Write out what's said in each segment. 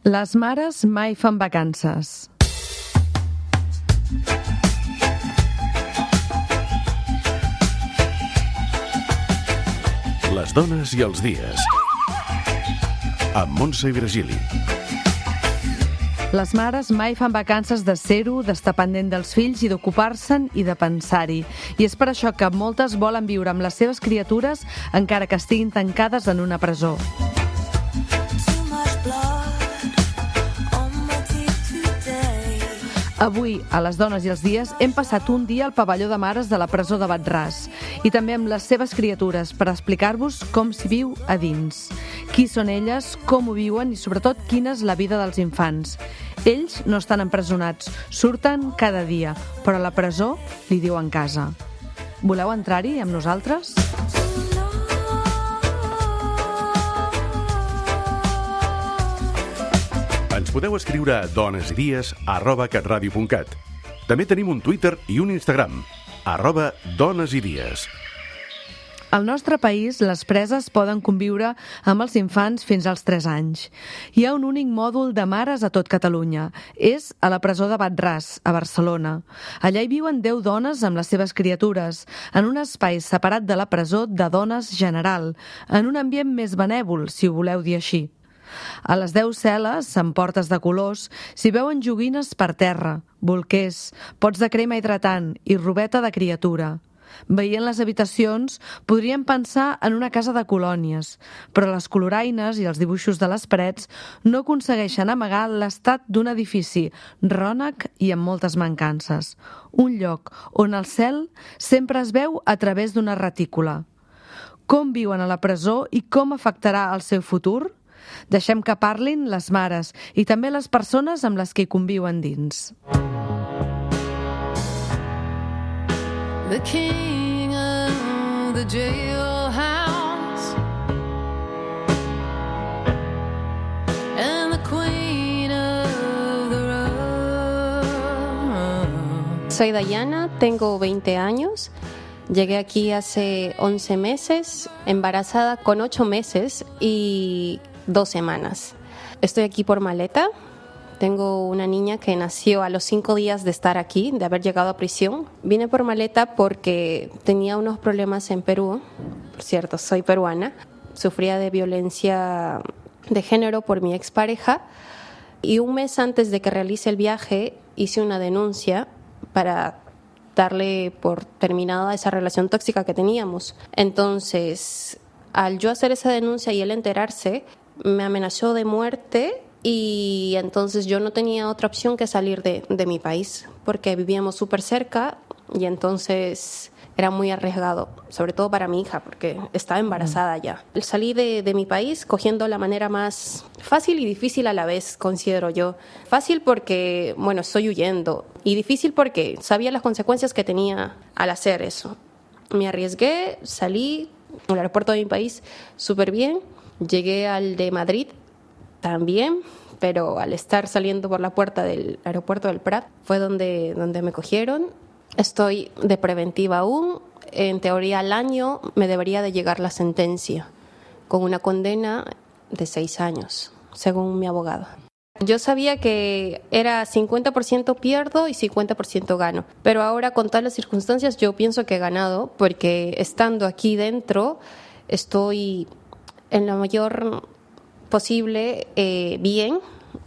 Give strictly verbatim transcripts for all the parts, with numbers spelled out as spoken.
Les mares mai fan vacances. Les dones i els dies. Amb Montse i Virgili. Les mares mai fan vacances de ser-ho, d'estar pendent dels fills i d'ocupar-se'n i de pensar-hi. I és per això que moltes volen viure amb les seves criatures encara que estiguin tancades en una presó. Avui, a Les dones i els dies, hem passat un dia al pavelló de mares de la presó de Bat-ras i també amb les seves criatures per explicar-vos com s'hi viu a dins. Qui són elles, com ho viuen i sobretot quina és la vida dels infants. Ells no estan empresonats, surten cada dia, però a la presó li diuen casa. Voleu entrar-hi amb nosaltres? Ens podeu escriure a donesidies arroba catradio punt cat. També tenim un Twitter i un Instagram, arroba donesidies. Al nostre país, les preses poden conviure amb els infants fins als tres anys. Hi ha un únic mòdul de mares a tot Catalunya. És a la presó de Bat-ras, a Barcelona. Allà hi viuen deu dones amb les seves criatures, en un espai separat de la presó de dones general, en un ambient més benèvol, si ho voleu dir així. A les deu cel·les, amb portes de colors, s'hi veuen joguines per terra, bolquers, pots de crema hidratant i robeta de criatura. Veient les habitacions, podríem pensar en una casa de colònies, però les coloraines i els dibuixos de les parets no aconsegueixen amagar l'estat d'un edifici rònec i amb moltes mancances. Un lloc on el cel sempre es veu a través d'una retícula. Com viuen a la presó i com afectarà el seu futur? Deixem que parlin les mares i també les persones amb les que hi conviuen dins. The king of the jailhouse and the queen of the road. Soy Dayana, tengo veinte años. Llegué aquí hace once meses, embarazada con ocho meses y dos semanas. Estoy aquí por maleta. Tengo una niña que nació a los cinco días de estar aquí, de haber llegado a prisión. Vine por maleta porque tenía unos problemas en Perú. Por cierto, soy peruana. Sufría de violencia de género por mi expareja. Y un mes antes de que realice el viaje, hice una denuncia para darle por terminada esa relación tóxica que teníamos. Entonces, al yo hacer esa denuncia y él enterarse, me amenazó de muerte y entonces yo no tenía otra opción que salir de, de mi país porque vivíamos súper cerca y entonces era muy arriesgado, sobre todo para mi hija porque estaba embarazada ya. Salí de, de mi país cogiendo la manera más fácil y difícil a la vez, considero yo. Fácil porque, bueno, estoy huyendo y difícil porque sabía las consecuencias que tenía al hacer eso. Me arriesgué, salí al aeropuerto de mi país súper bien. Llegué al de Madrid también, pero al estar saliendo por la puerta del aeropuerto del Prat fue donde, donde me cogieron. Estoy de preventiva aún. En teoría al año me debería de llegar la sentencia con una condena de seis años, según mi abogado. Yo sabía que era cincuenta por ciento pierdo y cincuenta por ciento gano, pero ahora con todas las circunstancias yo pienso que he ganado porque estando aquí dentro estoy en lo mayor posible eh, bien,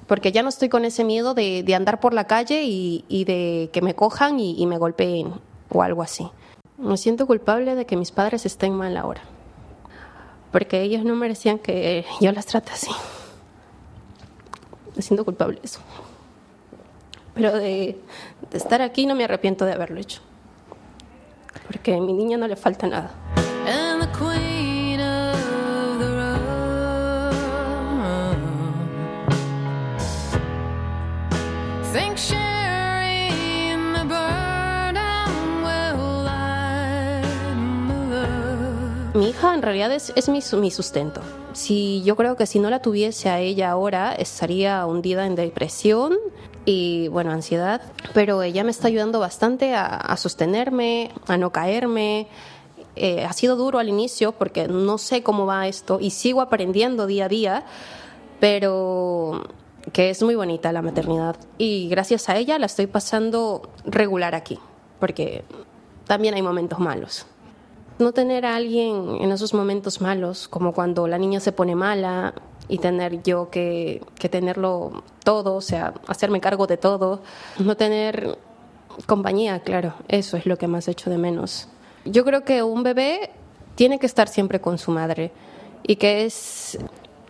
porque ya no estoy con ese miedo de, de andar por la calle y, y de que me cojan y, y me golpeen o algo así. Me siento culpable de que mis padres estén mal ahora, porque ellos no merecían que yo las trate así. Me siento culpable de eso. Pero de, de estar aquí no me arrepiento de haberlo hecho, porque a mi niña no le falta nada. And the queen of the road. Think sharing the burden will lighten the load. Mi hija en realidad es, es mi, mi sustento. Si, yo creo que si no la tuviese a ella ahora, estaría hundida en depresión y, bueno, ansiedad. Pero ella me está ayudando bastante a, a sostenerme, a no caerme. Eh, ha sido duro al inicio porque no sé cómo va esto y sigo aprendiendo día a día, pero que es muy bonita la maternidad y gracias a ella la estoy pasando regular aquí, porque también hay momentos malos. No tener a alguien en esos momentos malos, como cuando la niña se pone mala y tener yo que, que tenerlo todo, o sea, hacerme cargo de todo, no tener compañía, claro, eso es lo que más echo de menos. Yo creo que un bebé tiene que estar siempre con su madre y que es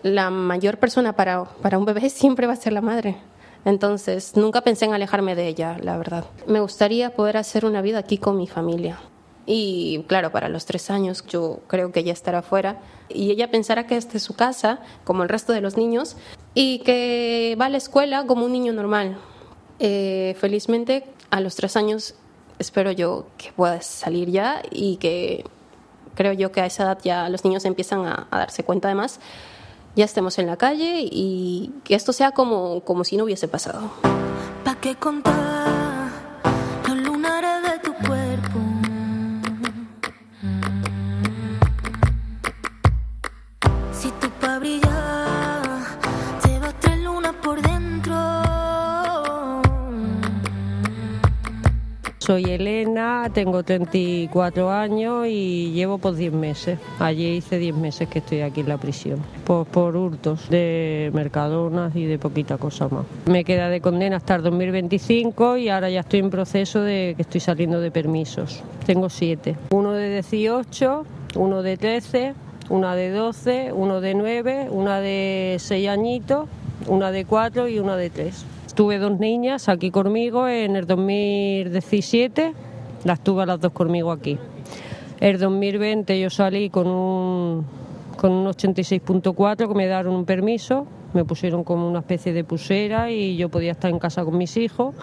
la mayor persona para, para un bebé siempre va a ser la madre. Entonces, nunca pensé en alejarme de ella, la verdad. Me gustaría poder hacer una vida aquí con mi familia. Y claro, para los tres años yo creo que ella estará fuera y ella pensará que esta es su casa, como el resto de los niños, y que va a la escuela como un niño normal. Eh, felizmente, a los tres años espero yo que pueda salir ya y que creo yo que a esa edad ya los niños empiezan a, a darse cuenta de más, ya estemos en la calle y que esto sea como, como si no hubiese pasado. ¿Pa' qué contar los lunares de tu cuerpo? Si tú pa' brillar llevas tres lunas por dentro. Soy Elena, tengo treinta y cuatro años y llevo pues diez meses. Allí hice diez meses que estoy aquí en la prisión. Pues por hurtos de Mercadonas y de poquita cosa más. Me queda de condena hasta el dos mil veinticinco y ahora ya estoy en proceso de que estoy saliendo de permisos. Tengo siete. Uno de dieciocho, uno de trece, una de doce, uno de nueve, una de seis añitos, una de cuatro y una de tres. Tuve dos niñas aquí conmigo en el dos mil diecisiete, las tuve a las dos conmigo aquí. El dos mil veinte yo salí con un, con un ochenta y seis punto cuatro que me dieron un permiso, me pusieron como una especie de pulsera y yo podía estar en casa con mis hijos.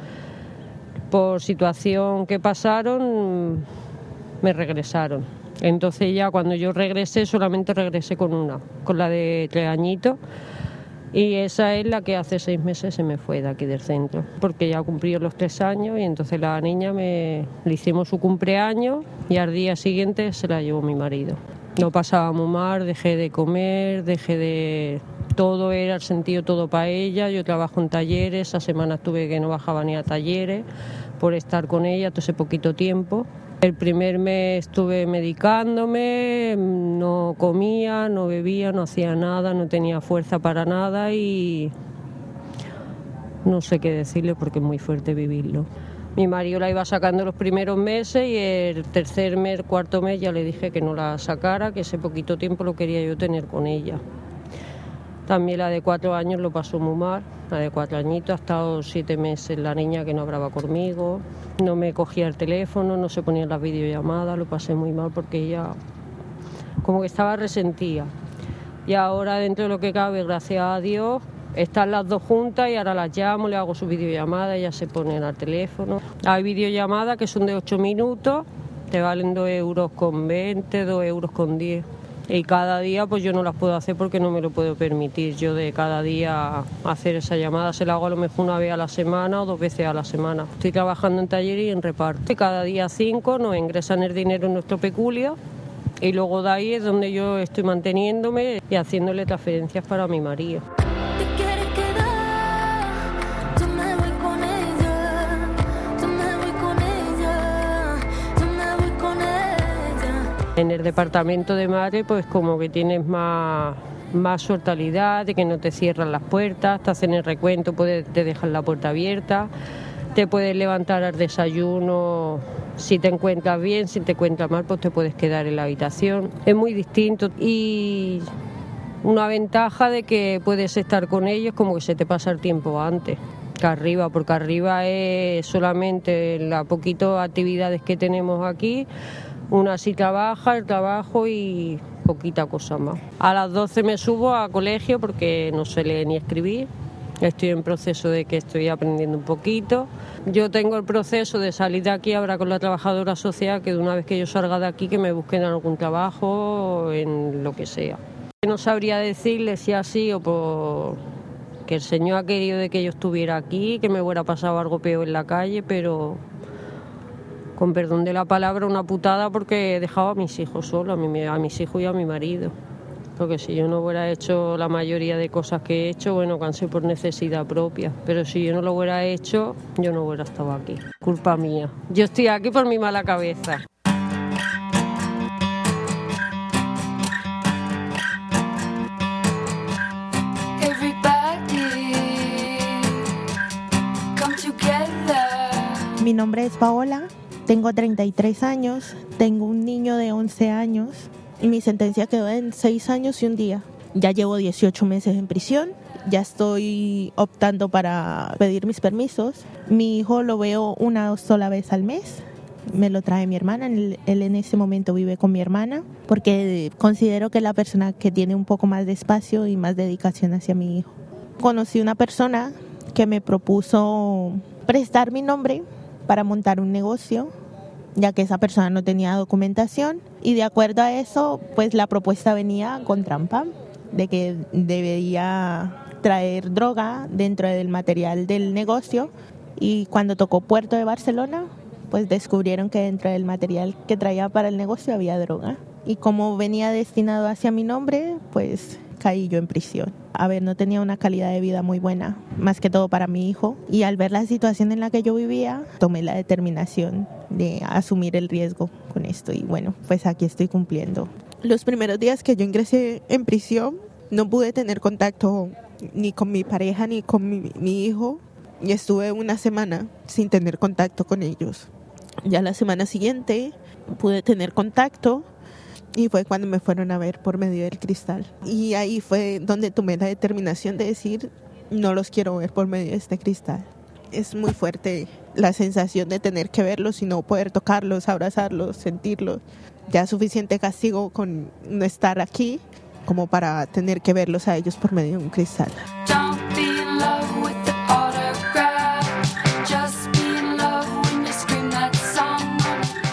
Por situación que pasaron, me regresaron. Entonces ya cuando yo regresé, solamente regresé con una, con la de tres añitos. Y esa es la que hace seis meses se me fue de aquí del centro, porque ya cumplió los tres años y entonces la niña me le hicimos su cumpleaños y al día siguiente se la llevó mi marido. No pasaba muy mal, dejé de comer, dejé de... Todo era el sentido todo para ella, yo trabajo en talleres, esa semana estuve que no bajaba ni a talleres por estar con ella todo ese poquito tiempo. El primer mes estuve medicándome, no comía, no bebía, no hacía nada, no tenía fuerza para nada y no sé qué decirle porque es muy fuerte vivirlo. Mi marido la iba sacando los primeros meses y el tercer mes, cuarto mes ya le dije que no la sacara, que ese poquito tiempo lo quería yo tener con ella. También la de cuatro años lo pasó muy mal, la de cuatro añitos, ha estado siete meses la niña que no hablaba conmigo, no me cogía el teléfono, no se ponía las videollamadas, lo pasé muy mal porque ella como que estaba resentida. Y ahora dentro de lo que cabe, gracias a Dios, están las dos juntas y ahora las llamo, le hago su videollamada, ella se pone al teléfono. Hay videollamadas que son de ocho minutos, te valen dos euros con veinte, dos euros con diez. Y cada día pues yo no las puedo hacer porque no me lo puedo permitir. Yo de cada día hacer esa llamada se la hago a lo mejor una vez a la semana o dos veces a la semana. Estoy trabajando en taller y en reparto. Y cada día cinco nos ingresan el dinero en nuestro peculio y luego de ahí es donde yo estoy manteniéndome y haciéndole transferencias para mi marido. ¿Te quieres quedar? Yo me voy con ella. Yo me voy con ella. Yo me voy con ella. En el departamento de madre pues como que tienes más, más sortalidad, de que no te cierran las puertas, te hacen el recuento, puedes, te dejan la puerta abierta, te puedes levantar al desayuno, si te encuentras bien, si te encuentras mal pues te puedes quedar en la habitación. Es muy distinto y una ventaja de que puedes estar con ellos como que se te pasa el tiempo antes que arriba, porque arriba es solamente las poquitas actividades que tenemos aquí. Una sí trabaja, el trabajo y poquita cosa más. A las doce me subo a colegio porque no sé leer ni escribir. Estoy en proceso de que estoy aprendiendo un poquito. Yo tengo el proceso de salir de aquí ahora con la trabajadora social, que de una vez que yo salga de aquí que me busquen algún trabajo en lo que sea. No sabría decirle si así o por que el Señor ha querido de que yo estuviera aquí, que me hubiera pasado algo peor en la calle, pero con perdón de la palabra, una putada porque he dejado a mis hijos solos, a, mi, a mis hijos y a mi marido. Porque si yo no hubiera hecho la mayoría de cosas que he hecho, bueno, cansé por necesidad propia. Pero si yo no lo hubiera hecho, yo no hubiera estado aquí. Culpa mía. Yo estoy aquí por mi mala cabeza. Mi nombre es Paola, tengo treinta y tres años, tengo un niño de once años y mi sentencia quedó en seis años y un día. Ya llevo dieciocho meses en prisión, ya estoy optando para pedir mis permisos. Mi hijo lo veo una sola vez al mes, me lo trae mi hermana, él, él en ese momento vive con mi hermana porque considero que es la persona que tiene un poco más de espacio y más dedicación hacia mi hijo. Conocí una persona que me propuso prestar mi nombre para montar un negocio, ya que esa persona no tenía documentación, y de acuerdo a eso, pues la propuesta venía con trampa, de que debía traer droga dentro del material del negocio, y cuando tocó Puerto de Barcelona, pues descubrieron que dentro del material que traía para el negocio había droga, y como venía destinado hacia mi nombre, pues caí yo en prisión. A ver, no tenía una calidad de vida muy buena, más que todo para mi hijo. Y al ver la situación en la que yo vivía, tomé la determinación de asumir el riesgo con esto. Y bueno, pues aquí estoy cumpliendo. Los primeros días que yo ingresé en prisión, no pude tener contacto ni con mi pareja ni con mi, mi hijo. Y estuve una semana sin tener contacto con ellos. Ya la semana siguiente pude tener contacto. Y fue cuando me fueron a ver por medio del cristal. Y ahí fue donde tomé la determinación de decir, no los quiero ver por medio de este cristal. Es muy fuerte la sensación de tener que verlos y no poder tocarlos, abrazarlos, sentirlos. Ya suficiente castigo con no estar aquí como para tener que verlos a ellos por medio de un cristal.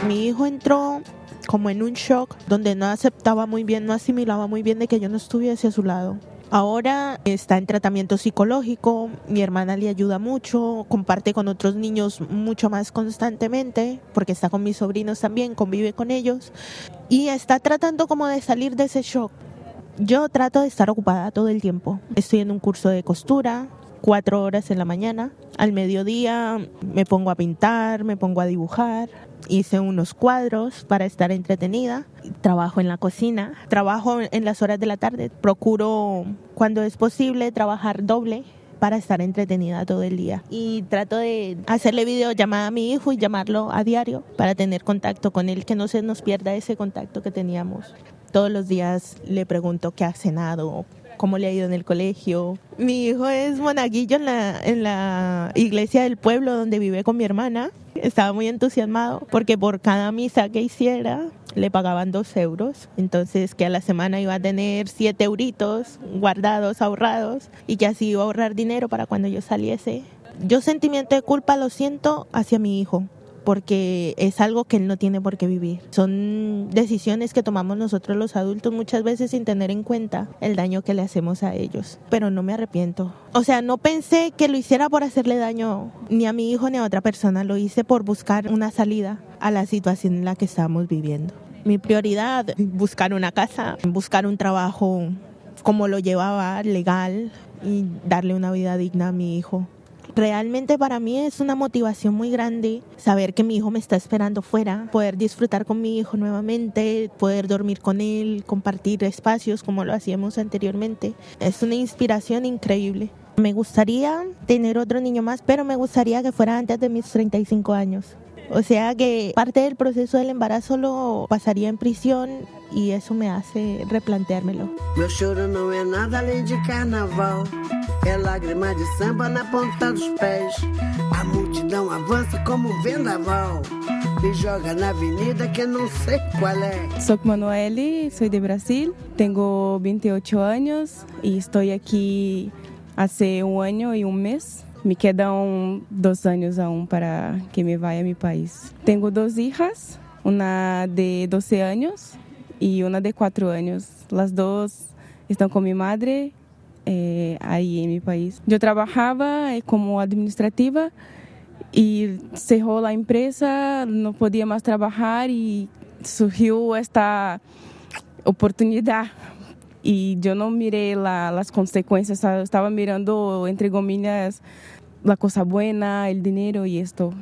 Mi hijo entró como en un shock, donde no aceptaba muy bien, no asimilaba muy bien de que yo no estuviese a su lado. Ahora está en tratamiento psicológico, mi hermana le ayuda mucho, comparte con otros niños mucho más constantemente, porque está con mis sobrinos también, convive con ellos, y está tratando como de salir de ese shock. Yo trato de estar ocupada todo el tiempo. Estoy en un curso de costura, cuatro horas en la mañana. Al mediodía me pongo a pintar, me pongo a dibujar. Hice unos cuadros para estar entretenida. Trabajo en la cocina, trabajo en las horas de la tarde. Procuro, cuando es posible, trabajar doble para estar entretenida todo el día. Y trato de hacerle videollamada a mi hijo y llamarlo a diario para tener contacto con él, que no se nos pierda ese contacto que teníamos. Todos los días le pregunto qué ha cenado, cómo le ha ido en el colegio. Mi hijo es monaguillo en la, en la iglesia del pueblo donde vive con mi hermana. Estaba muy entusiasmado porque por cada misa que hiciera le pagaban dos euros. Entonces que a la semana iba a tener siete euritos guardados, ahorrados, y que así iba a ahorrar dinero para cuando yo saliese. Yo sentimiento de culpa lo siento hacia mi hijo, porque es algo que él no tiene por qué vivir. Son decisiones que tomamos nosotros los adultos muchas veces sin tener en cuenta el daño que le hacemos a ellos. Pero no me arrepiento. O sea, no pensé que lo hiciera por hacerle daño ni a mi hijo ni a otra persona. Lo hice por buscar una salida a la situación en la que estamos viviendo. Mi prioridad, buscar una casa, buscar un trabajo como lo llevaba, legal, y darle una vida digna a mi hijo. Realmente para mí es una motivación muy grande saber que mi hijo me está esperando fuera, poder disfrutar con mi hijo nuevamente, poder dormir con él, compartir espacios como lo hacíamos anteriormente. Es una inspiración increíble. Me gustaría tener otro niño más, pero me gustaría que fuera antes de mis treinta y cinco años. O sea que parte del proceso del embarazo lo pasaría en prisión y eso me hace replanteármelo. Meu choro não é nada além de carnaval. É lágrima de samba na ponta dos pés. A multidão avança como um vendaval. Me joga na avenida que não sei qual é. Soy Manueli, soy de Brasil, tengo veintiocho años y estoy aquí hace un año y un mes. Me quedan dos años aún para que me vaya a mi país. Tengo dos hijas, una de doce años y una de cuatro años. Las dos están con mi madre eh, ahí en mi país. Yo trabajaba como administrativa y cerró la empresa, no podía más trabajar y surgió esta oportunidad. y yo no miré la, las consecuencias, estaba mirando, entre comillas, la cosa buena, el dinero y esto.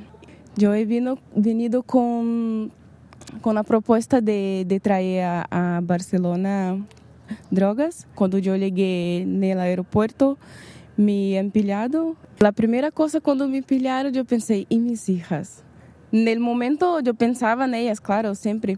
Yo he vino, venido con, con la propuesta de, de traer a, a Barcelona drogas. Cuando yo llegué en el aeropuerto, me han pillado. La primera cosa cuando me pillaron, yo pensé, ¿y mis hijas? En el momento yo pensaba en ellas, claro, siempre.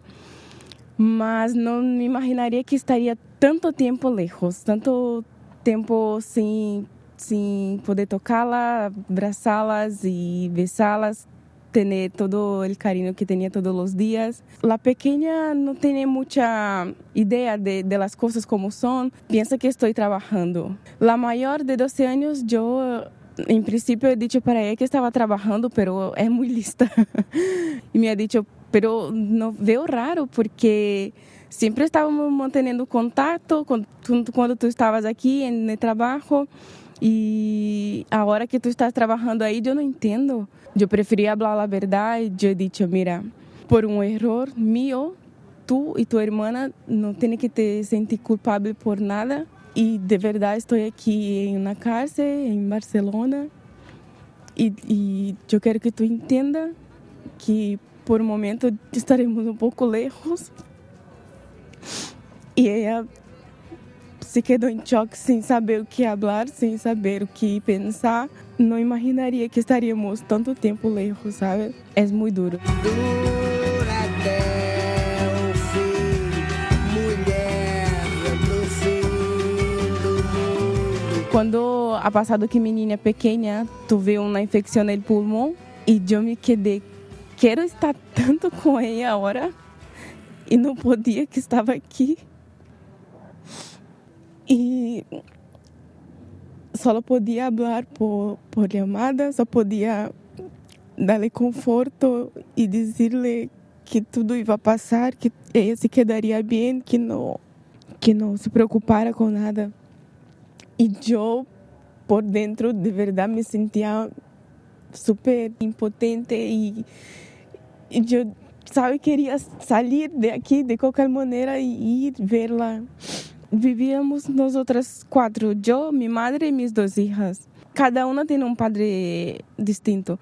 Mas no me imaginaría que estaría tanto tiempo lejos, tanto tiempo sin, sin poder tocarlas, abrazarlas y besarlas, tener todo el cariño que tenía todos los días. La pequeña no tiene mucha idea de, de las cosas como son, piensa que estoy trabajando. La mayor de doce años, yo en principio he dicho para ella que estaba trabajando, pero es muy lista. Y me ha dicho, pero no veo raro porque siempre estábamos manteniendo contacto cuando, cuando tú estabas aquí en el trabajo y ahora que tú estás trabajando ahí yo no entiendo. Yo prefería hablar la verdad y yo he dicho, mira, por un error mío, tú y tu hermana no tienen que te sentir culpable por nada. Y de verdad estoy aquí en una cárcel en Barcelona y, y yo quiero que tú entiendas que por un momento estaremos un poco lejos. Y ella se quedó en shock sin saber o que hablar, sin saber o que pensar. No imaginaria que estaríamos tanto tiempo lejos, ¿sabes? Es muy duro. Dura até o fim, mulher do fim do mundo. Cuando ha pasado que mi niña pequeña tuve una infección en el pulmón y yo me quedé, quiero estar tanto con ella ahora y no podía que estaba aquí. Y solo podía hablar por, por llamada, só podía darle conforto y decirle que todo iba a pasar, que ella se quedaría bien, que no, que no se preocupara con nada. Y yo por dentro de verdad me sentía súper impotente y, y yo, sabe, quería salir de aquí de cualquier manera y ir verla. Vivíamos nosotras cuatro, yo, mi madre y mis dos hijas. Cada una tiene un padre distinto.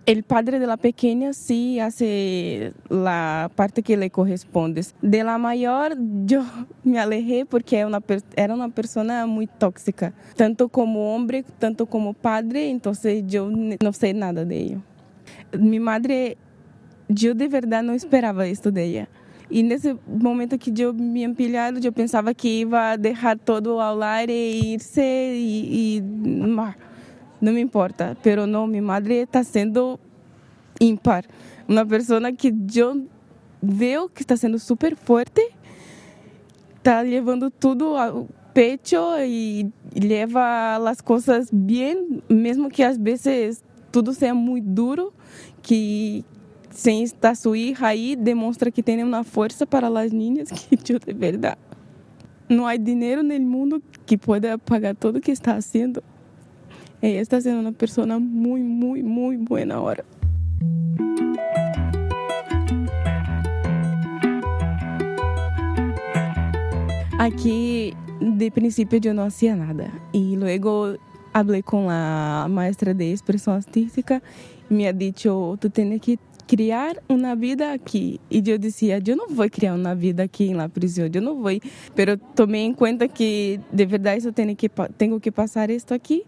El padre de la pequeña sí hace la parte que le corresponde. De la mayor yo me alejé porque era una, era una persona muy tóxica, tanto como hombre, tanto como padre, entonces yo no sé nada de ello. Mi madre, yo de verdad no esperaba esto de ella. Y nesse momento que eu me empilhado, eu pensava que ia deixar todo ao lado e irse e, e não me importa. Pero não, minha madre está sendo ímpar. Uma pessoa que eu vejo que está sendo super forte, está levando tudo ao pecho e leva as coisas bem, mesmo que às vezes tudo seja muito duro, que sem estar sua hija aí, demonstra que tem uma força para as niñas que eu de verdade. Não há dinheiro no mundo que pueda pagar tudo o que está fazendo. Ela está sendo uma pessoa muito, muito, muito boa agora. Aqui, de princípio, eu não fazia nada. E logo falei com a maestra de expressão artística e me ha dicho, tu tens que criar uma vida aqui. E eu dizia, eu não vou criar uma vida aqui na prisão, eu não vou. Pero tomei em conta que, de verdade, eu tenho que, tenho que passar isto aqui.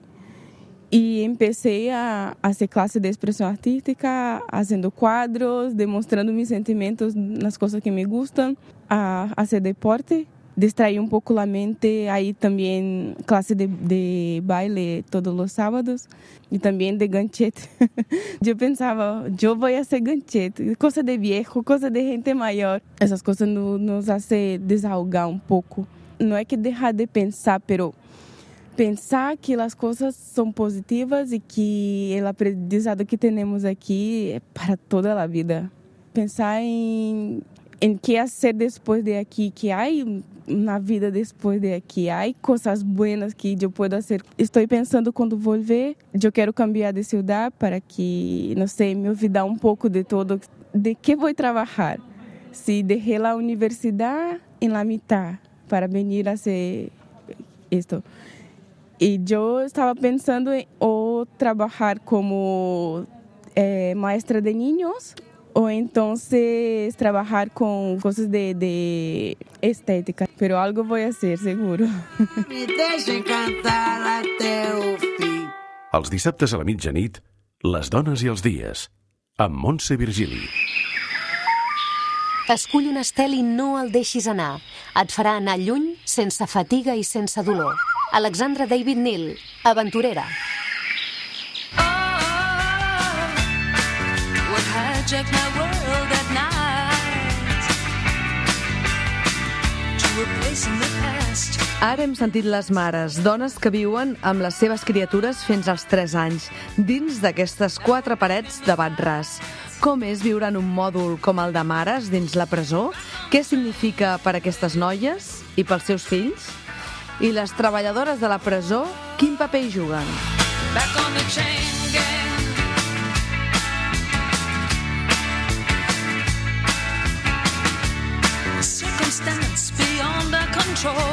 E comecei a fazer classe de expressão artística, fazendo quadros, demonstrando meus sentimentos nas coisas que me gustam, a fazer deporte, distrair um pouco a mente, aí também classe de, de baile todos os sábados e também de ganchete. Eu pensava, eu vou fazer ganchete, coisa de viejo, coisa de gente maior. Essas coisas nos, nos fazem desahogar um pouco. Não é que deixar de pensar, pero pensar que as coisas são positivas e que o aprendizado que temos aqui é para toda a vida. Pensar em em que fazer depois de aqui, que há na vida depois de aqui, há coisas boas que eu posso fazer. Estou pensando quando voltar, eu quero cambiar de cidade para que, não sei, me olvidar um pouco de todo, de que vou trabalhar. Se deixei a universidade em la mitad para venir a hacer esto. Y yo estaba pensando en o trabajar como eh, maestra de niños o entonces trabajar con cosas de, de estética. Pero algo voy a hacer, seguro. Me deixem cantar até o fim. Els dissabtes a la mitjanit, Les dones i els dies, amb Montse Virgili. Escull un estel i no el deixis anar. Et farà anar lluny sense fatiga i sense dolor. Alexandra David Neal, aventurera. What hijacked my world at night to a place in the past. Ara hem sentit les mares, dones que viuen amb les seves criatures fins als tres anys, dins d'aquestes quatre parets de bat ras. Com és viure en un mòdul com el de mares dins la presó? Què significa per a aquestes noies i pels seus fills? I les treballadores de la presó, quin paper hi juguen? Back on the chain gang. Circumstance beyond our control.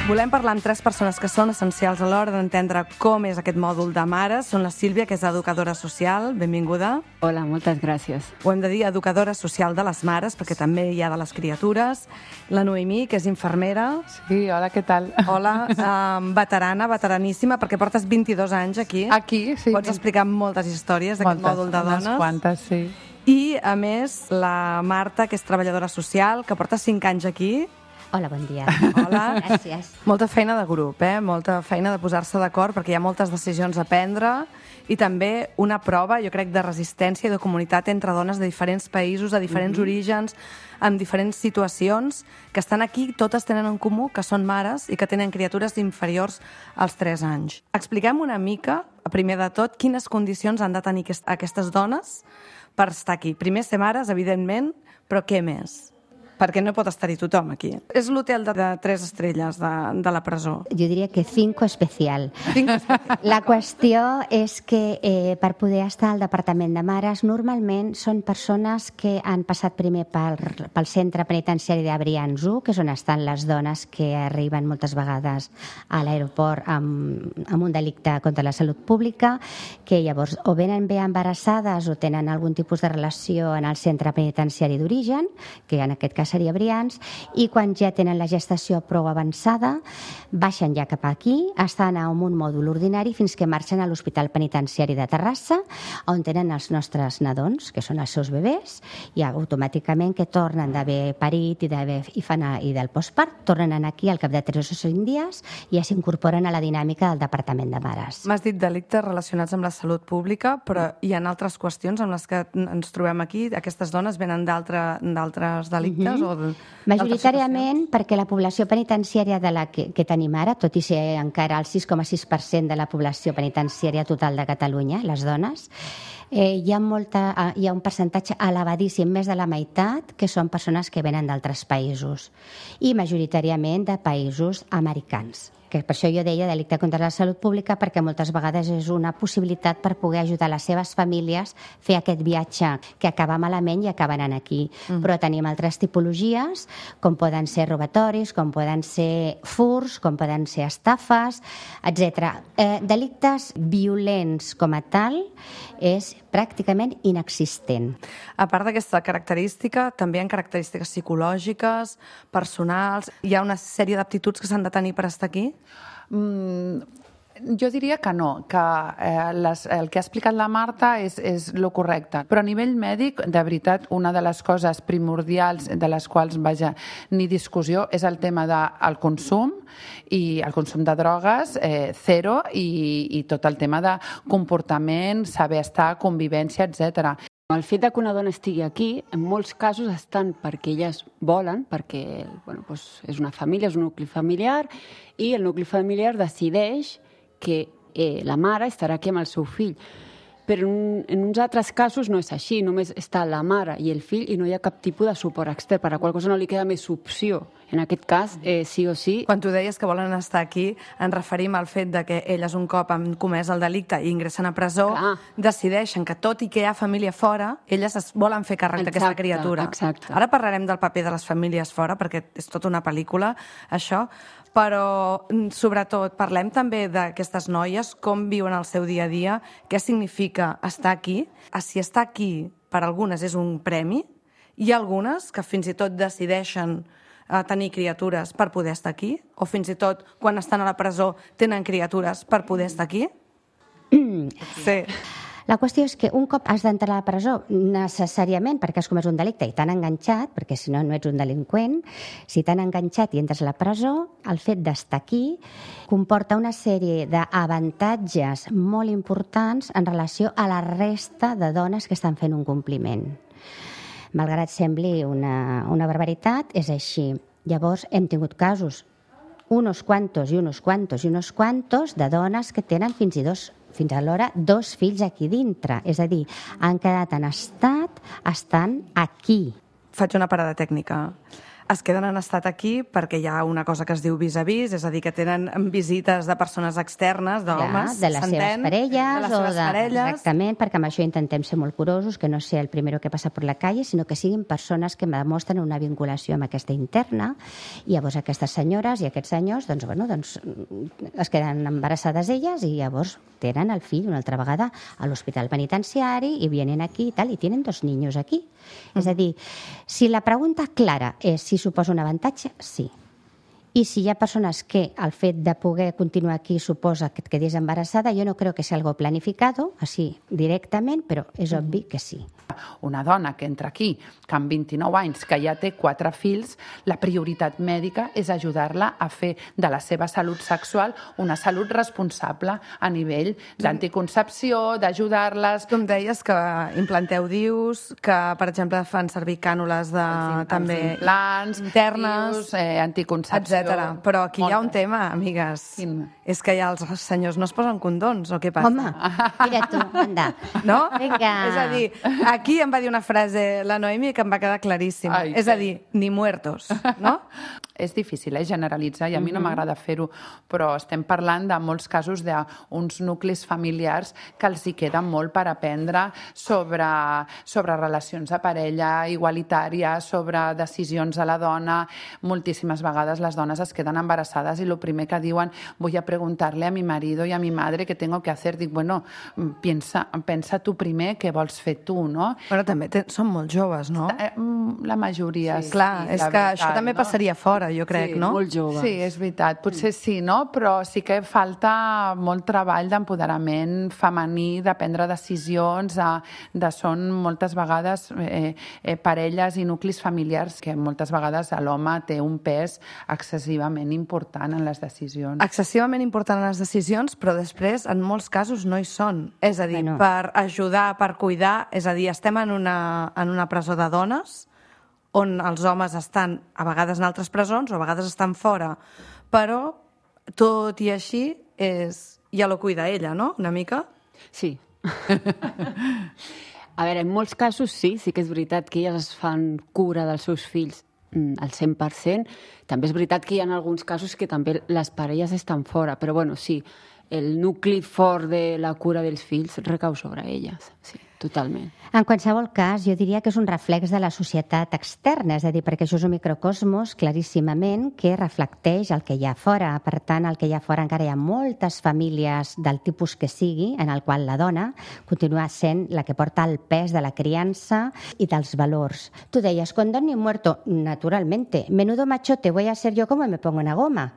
Volem parlar amb tres persones que són essencials a l'hora d'entendre com és aquest mòdul de mares. Són la Sílvia, que és educadora social. Benvinguda. Hola, moltes gràcies. Ho hem de dir, educadora social de les mares, perquè també hi ha de les criatures. La Noemí, que és infermera. Sí, hola, què tal? Hola, um, veterana, veteraníssima, perquè portes vint-i-dos anys aquí. Aquí, sí. Pots explicar moltes històries d'aquest mòdul de dones. Unes quantes, sí. I, a més, la Marta, que és treballadora social, que porta cinc anys aquí. Hola, bon dia. Hola. Gràcies. Molta feina de grup, eh? Molta feina de posar-se d'acord, perquè hi ha moltes decisions a prendre i també una prova, jo crec, de resistència i de comunitat entre dones de diferents països, de diferents mm-hmm. orígens, en diferents situacions, que estan aquí, totes tenen en comú que són mares i que tenen criatures inferiors als tres anys. Expliquem una mica, primer de tot, quines condicions han de tenir aquestes dones per estar aquí. Primer, ser mares, evidentment, però què més? Perquè no pot estar-hi tothom aquí. És l'hotel de, de tres estrelles de, de la presó. Jo diria que cinco especial. Cinco especial. La qüestió és que eh, per poder estar al Departament de Mares normalment són persones que han passat primer pel, pel centre penitenciari de Brians u, que és on estan les dones que arriben moltes vegades a l'aeroport amb, amb un delicte contra la salut pública, que llavors o venen bé embarassades o tenen algun tipus de relació en el centre penitenciari d'origen, que en aquest cas seria Brians, i quan ja tenen la gestació prou avançada, baixen ja cap aquí, estan en un mòdul ordinari fins que marxen a l'Hospital Penitenciari de Terrassa, on tenen els nostres nadons, que són els seus bebès, i automàticament que tornen d'haver parit i, i, fan a, i del postpart, tornen aquí al cap de tres o cinc dies i ja s'incorporen a la dinàmica del Departament de Mares. M'has dit delictes relacionats amb la salut pública, però hi ha altres qüestions amb les que ens trobem aquí. Aquestes dones venen d'altres delictes? Mm-hmm. O de, majoritàriament perquè la població penitenciària de la que, que tenim ara, tot i ser encara el sis coma sis per cent de la població penitenciària total de Catalunya, les dones, eh, hi, ha molta, hi ha un percentatge elevadíssim, més de la meitat, que són persones que venen d'altres països i majoritàriament de països americans. Que per això jo deia delicte contra la salut pública, perquè moltes vegades és una possibilitat per poder ajudar les seves famílies a fer aquest viatge que acaba malament i acaben aquí. Mm. Però tenim altres tipologies, com poden ser robatoris, com poden ser furs, com poden ser estafes, etcètera. Eh, delictes violents com a tal és pràcticament inexistent. A part d'aquesta característica, també hi ha característiques psicològiques, personals. Hi ha una sèrie d'aptituds que s'han de tenir per estar aquí? Mm, jo diria que no, que eh, les, el que ha explicat la Marta és, és lo correcte. Però a nivell mèdic, de veritat, una de les coses primordials de les quals, vaja, ni discussió, és el tema del consum, i el consum de drogues, eh, zero, i, i tot el tema de comportament, saber estar, convivència, etcètera. El fet que una dona estigui aquí, en molts casos estan perquè elles volen, perquè bueno, doncs és una família, és un nucli familiar, i el nucli familiar decideix que eh, la mare estarà aquí amb el seu fill. Però en, en uns altres casos no és així, només està la mare i el fill i no hi ha cap tipus de suport extern, per la qual cosa no li queda més opció. En aquest cas, eh, sí o sí... Quan tu deies que volen estar aquí, ens referim al fet de que elles un cop han comès el delicte i ingressen a presó, Clar. decideixen que tot i que hi ha família fora, elles es volen fer càrrec d'aquesta Exacte, criatura. exacte. Ara parlarem del paper de les famílies fora, perquè és tota una pel·lícula, això, però mm, sobretot parlem també d'aquestes noies, com viuen el seu dia a dia, què significa estar aquí, si estar aquí per algunes és un premi, hi ha algunes que fins i tot decideixen a tenir criatures per poder estar aquí? O fins i tot, quan estan a la presó, tenen criatures per poder estar aquí? Sí. La qüestió és que un cop has d'entrar a la presó necessàriament perquè has comès un delicte i t'han enganxat, perquè si no, no ets un delinqüent, si t'han enganxat i entres a la presó, el fet d'estar aquí comporta una sèrie d'avantatges molt importants en relació a la resta de dones que estan fent un compliment. Malgrat sembli una, una barbaritat, és així. Llavors, hem tingut casos, unos cuantos i unos cuantos i unos cuantos de dones que tenen fins i dos fins alhora dos fills aquí dintre. És a dir, han quedat en estat, estan aquí. Faig una parada tècnica. Es queden en estat aquí perquè hi ha una cosa que es diu vis-a-vis, és a dir, que tenen visites de persones externes, d'homes, de les seves parelles. de les o seves de... parelles. Exactament, perquè amb això intentem ser molt curosos, que no sigui el primero que passa per la calle, sinó que siguin persones que demostren una vinculació amb aquesta interna, i llavors aquestes senyores i aquests senyors doncs, bueno, doncs, es queden embarassades elles i llavors tenen el fill una altra vegada a l'hospital penitenciari i vienen aquí i tal, i tenen dos niños aquí. Mm. És a dir, si la pregunta clara és si suposa un avantatge, sí. I si hi ha persones que el fet de poder continuar aquí suposa que et quedis embarassada, jo no creo que sea algo planificado, així directament, però és obvi que sí. Una dona que entra aquí, que amb vint-i-nou anys, que ja té quatre fills, la prioritat mèdica és ajudar-la a fer de la seva salut sexual una salut responsable a nivell d'anticoncepció, d'ajudar-les... Tu em deies que implanteu dius, que, per exemple, fan servir cànules de, els, també els implants, internes, dius, eh, anticoncepció... etcètera. Però aquí moltes. Hi ha un tema, amigues. Quin? És que ja els senyors no es posen condons, o què passa? Home, mira tu, anda. No? Vinga. És a dir, aquí em va dir una frase la Noemi que em va quedar claríssima. Ai, és a dir, ni muertos, no? És difícil, eh, generalitzar, i a mi no m'agrada fer-ho, però estem parlant de molts casos d'uns nuclis familiars que els hi queda molt per aprendre sobre, sobre relacions de parella, igualitàries, sobre decisions a la dona. Moltíssimes vegades les dones es queden embarassades i el primer que diuen, voy a preguntarle a mi marido y a mi madre qué tengo que hacer. Dic, bueno, pensa, pensa tu primer què vols fer tu, no? Però també te, són molt joves, no? La majoria, sí. Clar, sí, és que veritat, això també no? passaria fora, jo crec, sí, no? Molt joves. Sí, és veritat. Potser sí, no? Però sí que falta molt treball d'empoderament femení, de prendre decisions, de, de són moltes vegades eh, eh, parelles i nuclis familiars que moltes vegades l'home té un pes excessivament important en les decisions. Excessivament important en les decisions, però després, en molts casos, no hi són. És a dir, bueno. per ajudar, per cuidar, és a dir, estem en una, en una presó de dones on els homes estan a vegades en altres presons o a vegades estan fora, però tot i així és... ja lo cuida ella, no?, una mica? Sí. A veure, en molts casos sí, sí que és veritat que elles es fan cura dels seus fills al cent per cent. També és veritat que hi ha alguns casos que també les parelles estan fora, però bueno, sí, el nucli fort de la cura dels fills recau sobre elles, sí, totalment. En qualsevol cas, jo diria que és un reflex de la societat externa, és a dir, perquè això és un microcosmos claríssimament que reflecteix el que hi ha fora. Per tant, el que hi ha fora encara hi ha moltes famílies del tipus que sigui, en el qual la dona continua sent la que porta el pes de la criança i dels valors. Tu deies, condón ni muerto, naturalmente. Menudo machote voy a ser yo como me pongo una goma.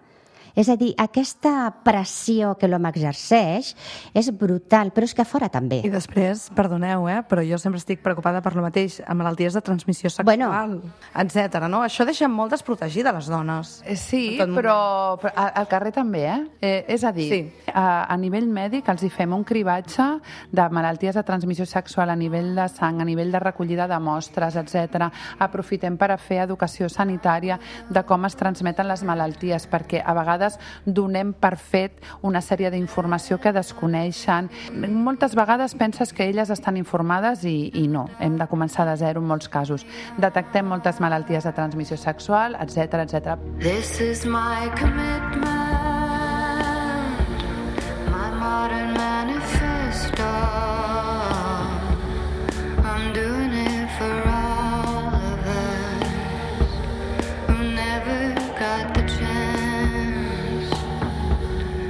És a dir, aquesta pressió que l'home exerceix és brutal, però és que a fora també. I després, perdoneu, eh, però jo sempre estic preocupada per lo mateix, amb malalties de transmissió sexual, bueno. etcètera. No? Això deixa molt desprotegides les dones. Sí, però, però al carrer també, eh? eh és a dir, sí. a, a nivell mèdic els hi fem un cribatge de malalties de transmissió sexual a nivell de sang, a nivell de recollida de mostres, etcètera. Aprofitem per a fer educació sanitària de com es transmeten les malalties, perquè a vegades vegades donem per fet una sèrie d'informació que desconeixen. Moltes vegades penses que elles estan informades i, i no. Hem de començar de zero en molts casos. Detectem moltes malalties de transmissió sexual, etcètera, etcètera. This is my commitment, my modern manifesto. I'm doing it for all of us who never got the chance.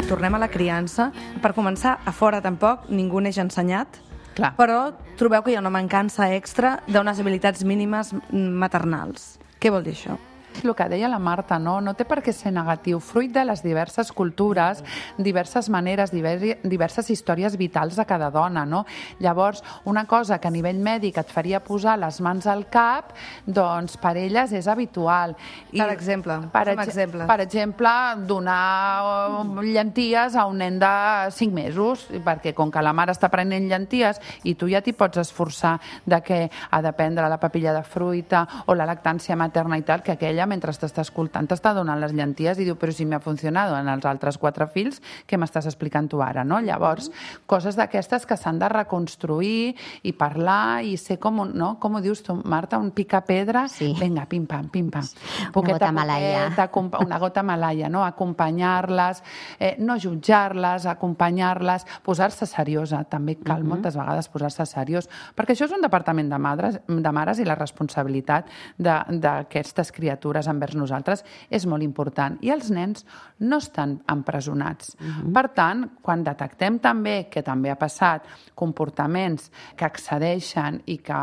Tornem a la criança. Per començar, a fora tampoc ningú neix ensenyat, Clar. però trobeu que hi ha una mancança extra d'unes habilitats mínimes maternals. Què vol dir això? El que deia la Marta, no? No té per què ser negatiu. Fruit de les diverses cultures, diverses maneres, diverses històries vitals de cada dona, no? Llavors, una cosa que a nivell mèdic et faria posar les mans al cap, doncs per elles és habitual. I, per exemple, per, com exemple. per exemple, donar llenties a un nen de cinc mesos, perquè com que la mare està prenent llenties i tu ja t'hi pots esforçar de què ha de prendre la papilla de fruita o la lactància materna i tal, que aquella mentre t'està escoltant t'està donant les llenties i diu, però si m'ha funcionat en els altres quatre fills, què m'estàs explicant tu ara, no? Llavors, coses d'aquestes que s'han de reconstruir i parlar i ser com, un, no? Com ho dius tu, Marta, un picapedra? Sí. Vinga, pim-pam, pim-pam. Una gota malaia. Una gota malaia, no? Acompanyar-les, eh, no jutjar-les, acompanyar-les, posar-se seriosa. També cal uh-huh. moltes vegades posar-se seriós, perquè això és un departament de mares, de mares i la responsabilitat d'aquestes criatures envers nosaltres és molt important. I els nens no estan empresonats. Uh-huh. Per tant, quan detectem també, que també ha passat, comportaments que excedeixen i que,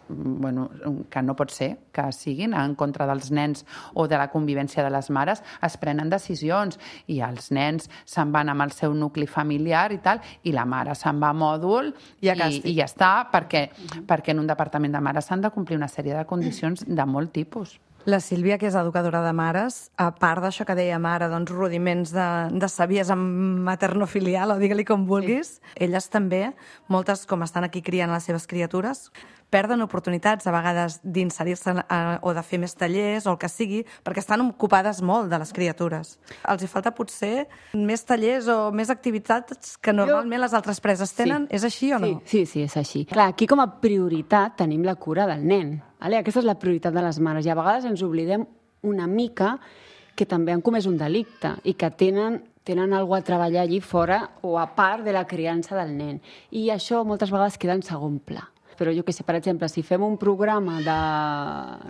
bueno, que no pot ser que siguin en contra dels nens o de la convivència de les mares, es prenen decisions i els nens se'n van amb el seu nucli familiar i tal, i la mare se'n va a mòdul i, i, i ja està, perquè, perquè en un departament de mares s'han de complir una sèrie de condicions de molt tipus. La Sílvia, que és educadora de mares, a part d'això que deia mare, doncs rudiments de, de saviesa maternofilial, o digue-li com vulguis, sí. Elles també, moltes com estan aquí criant les seves criatures, perden oportunitats a vegades d'inserir-se o de fer més tallers o el que sigui, perquè estan ocupades molt de les criatures. Els hi falta potser més tallers o més activitats que normalment jo... les altres preses tenen. Sí. És així o no? Sí, sí, sí, és així. Clar, aquí com a prioritat tenim la cura del nen. Vale? Aquesta és la prioritat de les mares i a vegades ens oblidem una mica que també han comès un delicte i que tenen tenen alguna a treballar allí fora o a part de la criança del nen. I això moltes vegades queda en segon pla. Però jo que sé, per exemple, si fem un programa de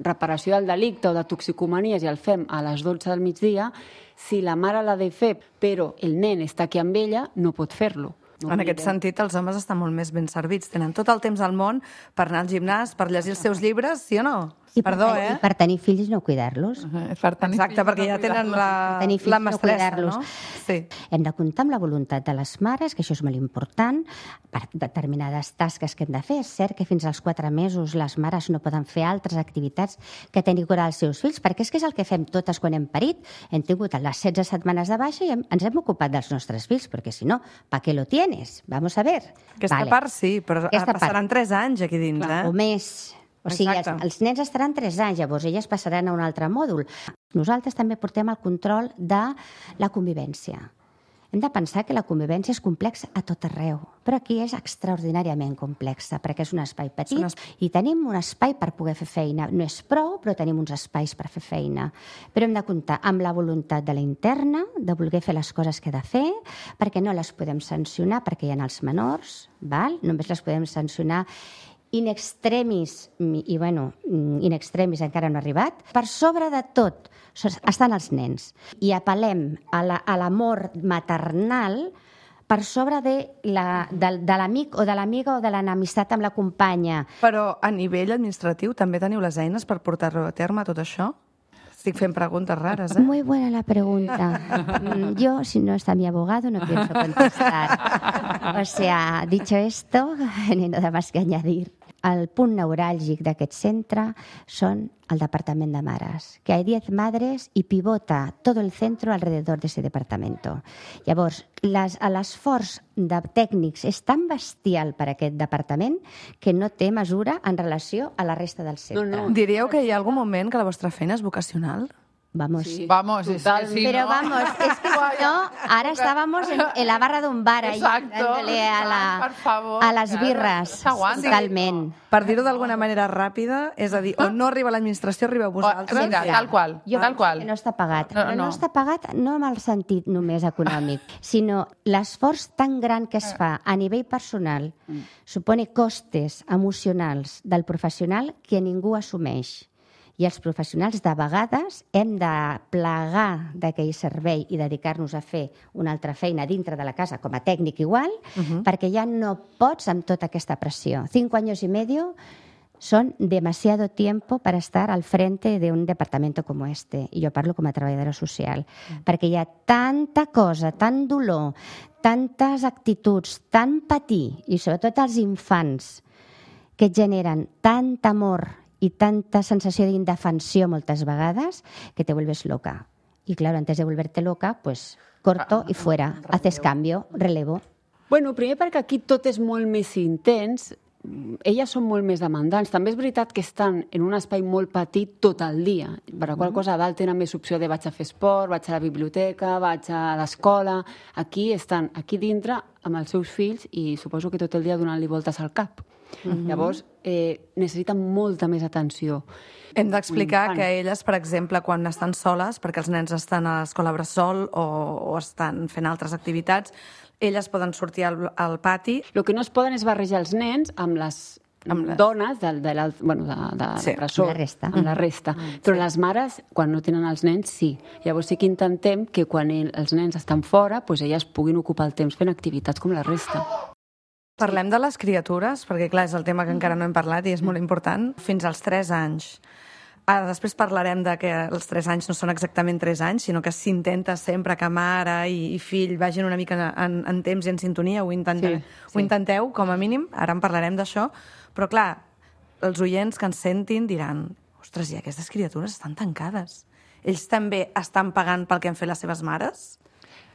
reparació del delicte o de toxicomanies i el fem a les dotze del migdia, si la mare l'ha de fer però el nen està aquí amb ella, no pot fer-lo. No en aquest sentit, els homes estan molt més ben servits. Tenen tot el temps al món per anar al gimnàs, per llegir els seus llibres, sí o no? I Perdó, per, eh? I per tenir fills no cuidar-los. Uh, per tenir Exacte, perquè ja tenen la, la mestressa, no? Sí. Hem de comptar amb la voluntat de les mares, que això és molt important, per determinades tasques que hem de fer. És cert que fins als quatre mesos les mares no poden fer altres activitats que tenir cura dels seus fills, perquè és que és el que fem totes quan hem parit. Hem tingut les setze setmanes de baixa i hem, ens hem ocupat dels nostres fills, perquè si no, ¿pa qué lo tienes? Vamos a ver. Aquesta vale. part sí, però Aquesta passaran part. tres anys aquí dins, Clar, eh? o més. O sigui, els, els nens estaran tres anys, llavors elles passaran a un altre mòdul. Nosaltres també portem el control de la convivència. Hem de pensar que la convivència és complexa a tot arreu, però aquí és extraordinàriament complexa, perquè és un espai petit un espai. i tenim un espai per poder fer feina. No és prou, però tenim uns espais per fer feina. Però hem de comptar amb la voluntat de la interna, de voler fer les coses que ha de fer, perquè no les podem sancionar, perquè hi ha els menors, val? Només les podem sancionar in extremis, i bueno, in extremis encara no ha arribat. Per sobre de tot estan els nens. I apel·lem a l'amor la, maternal per sobre de la, de, de l'amic o de l'amiga o de l'enemistat amb la companya. Però a nivell administratiu també teniu les eines per portar-ho a terme, tot això? Estic fent preguntes raras, ¿eh? Muy buena la pregunta. Yo, si no está mi abogado, no pienso contestar. O sea, dicho esto, no hay nada más que añadir. El punt neuràlgic d'aquest centre són el departament de mares, que hay diez madres i pivota tot el centre alrededor de ese departamento. Llavors, l'esforç de tècnics és tan bestial per aquest departament que no té mesura en relació a la resta del centre. No, no. Diríeu que hi ha algun moment que la vostra feina és vocacional? Vamos. Sí. Vamos, es que si Pero no... vamos, es que si no, ahora estábamos en, en la barra d'un bar ahí, Exacto, dándole a, la, per favor, a les claro, birres, no s'aguanta. totalment. Per dir-ho d'alguna manera ràpida, és a dir, on no arriba l'administració, arribeu vosaltres. Mira, tal qual, Jo tal penso qual. que no està pagat, No, però no. no. no està pagat no amb el sentit només econòmic, sinó l'esforç tan gran que es fa a nivell personal supone costes emocionals del professional que ningú assumeix. I els professionals de vegades hem de plegar d'aquell servei i dedicar-nos a fer una altra feina dintre de la casa, com a tècnic igual, Mhm. perquè ja no pots amb tota aquesta pressió. Cinco años y medio son demasiado tiempo para estar al frente de un departamento como este. I jo parlo com a treballadora social. Perquè hi ha tanta cosa, tant dolor, tantes actituds, tant patir, i sobretot els infants, que et generen tant amor y tanta sensació d'indefensió moltes vegades que te vuelves loca. Y claro, antes de volverte loca, pues corto y fuera. Haces cambio, relevo. Bueno, primer perquè aquí tot és molt més intens, elles són molt més demandants. També és veritat que estan en un espai molt petit tot el dia, per la qual cosa a dalt tenen més opció de vaig a fer esport, vaig a la biblioteca, vaig a l'escola. Aquí estan, aquí dintre, amb els seus fills i suposo que tot el dia donant-li voltes al cap. Mhm. Llavors, eh, necessiten molta més atenció. Hem d'explicar Un infant. que elles, per exemple, quan estan soles, perquè els nens estan a l'escola bressol o, o estan fent altres activitats, elles poden sortir al, al pati. El que no es poden és barrejar els nens amb les amb les... dones de, de, de, bueno, de, de, Sí, de presó, amb la resta. amb la resta. Mm, Però les mares, quan no tenen els nens, sí. Llavors sí que intentem que quan el, els nens estan fora, doncs elles puguin ocupar el temps fent activitats com la resta. Parlem de les criatures, perquè clar, és el tema que encara no hem parlat i és molt important, fins als tres anys. Ara, després parlarem de que els tres anys no són exactament tres anys, sinó que s'intenta sempre que mare i, i fill vagin una mica en, en temps i en sintonia, ho, intenta, Sí, sí. ho intenteu, com a mínim, ara en parlarem d'això, però clar, els oients que ens sentin diran ostres, i aquestes criatures estan tancades. Ells també estan pagant pel que han fet les seves mares?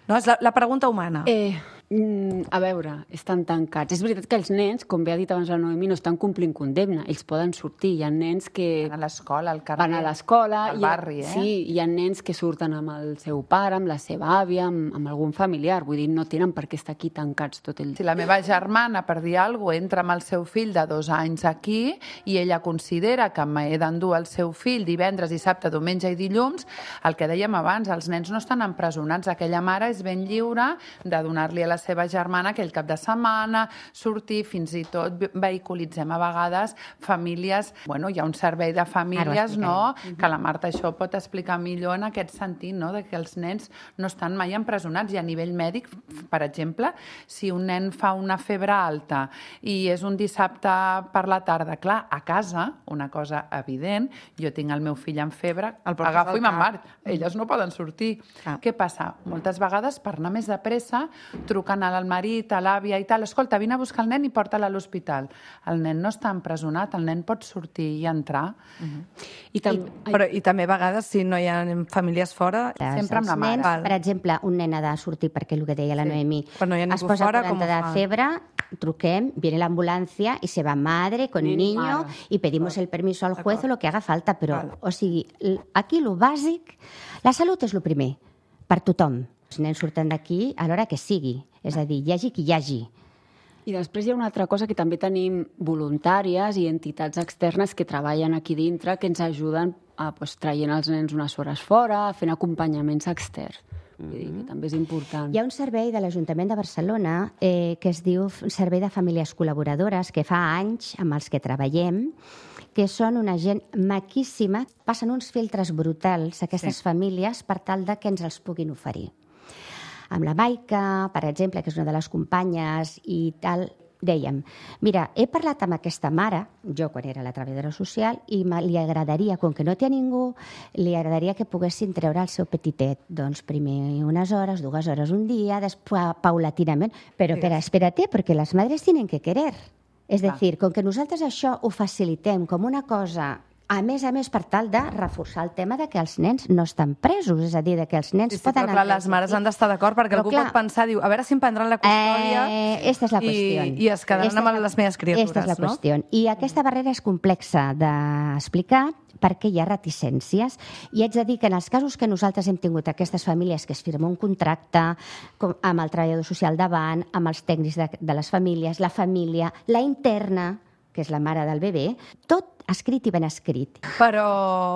No, és la, la pregunta humana. Eh, mm, a veure, estan tancats. És veritat que els nens, com bé ha dit abans la Noemi, no estan complint condemna. Ells poden sortir. Hi ha nens que... Van a l'escola, al carrer. Van a l'escola. Al hi ha- barri, eh? Sí, hi ha nens que surten amb el seu pare, amb la seva àvia, amb, amb algun familiar. Vull dir, no tenen per què estar aquí tancats tot el dia. Si la meva germana, per dir alguna cosa, entra amb el seu fill de dos anys aquí i ella considera que m'he d'endur el seu fill divendres, dissabte, diumenge i dilluns, el que dèiem abans, els nens no estan empresonats. Aquella mare és ben lliure de donar-li a la seva germana aquell cap de setmana, sortir, fins i tot vehiculitzem a vegades famílies... Bueno, hi ha un servei de famílies, no?, que la Marta això pot explicar millor en aquest sentit, no?, de que els nens no estan mai empresonats. I a nivell mèdic, per exemple, si un nen fa una febre alta i és un dissabte per la tarda, clar, a casa, una cosa evident, jo tinc el meu fill amb febre, el portes agafo al i me'n cap. marxo. Elles no poden sortir. Què passa? Moltes vegades, per anar més de pressa, truquen al marit, a l'àvia i tal, escolta, vine a buscar el nen i porta-la a l'hospital. El nen no està empresonat, el nen pot sortir i entrar. I, tam I, però, I també a vegades, si no hi ha famílies fora, Sempre amb la Els mare. nens, Val. per exemple, un nen ha de sortir perquè el que deia la Sí. Noemi, Però no hi ha es ningú posa fora, quaranta com ho de fa? febre, truquem, viene la ambulancia y se va madre con Nen i niño mare. y pedimos el permiso al juez o lo que haga falta, però, Val. o sigui, l- aquí lo bàsic, la salut és lo primer, per tothom. Els nens surten d'aquí a l'hora que sigui, és a dir, hi hagi qui hi hagi. I després hi ha una altra cosa que també tenim voluntàries i entitats externes que treballen aquí dintre que ens ajuden a, pues, traient els nens unes hores fora, fent acompanyaments externs. Vull dir que també és important. Hi ha un servei de l'Ajuntament de Barcelona eh, que es diu Servei de Famílies Col·laboradores, que fa anys amb els que treballem, que són una gent maquíssima, passen uns filtres brutals a aquestes Sí. famílies per tal de que ens els puguin oferir. Amb la Maica, per exemple, que és una de les companyes i tal, dèiem, mira, he parlat amb aquesta mare, jo quan era la treballadora social, i me- li agradaria, com que no té a ningú, li agradaria que poguessin treure el seu petitet. Doncs primer unes hores, dues hores un dia, després paulatinament. Però espera, espérate, perquè les madres tienen que querer. És Clar. decir, com que nosaltres això ho facilitem com una cosa A més a més, per tal de reforçar el tema de que els nens no estan presos, és a dir, de que els nens Sí, sí, poden... però clar, les mares han d'estar d'acord perquè Però algú clar, pot pensar, diu, a veure si em prendran la custòdia Eh, esta és la qüestió. i, i es quedaran Esta amb és la- les meves criatures, Esta és la no? qüestió. I aquesta barrera és complexa d'explicar perquè hi ha reticències. I haig de dir que en els casos que nosaltres hem tingut aquestes famílies que es firma un contracte com, amb el treballador social davant, amb els tècnics de, de les famílies, la família, la interna, que és la mare del bebè, tot escrit i ben escrit. Però,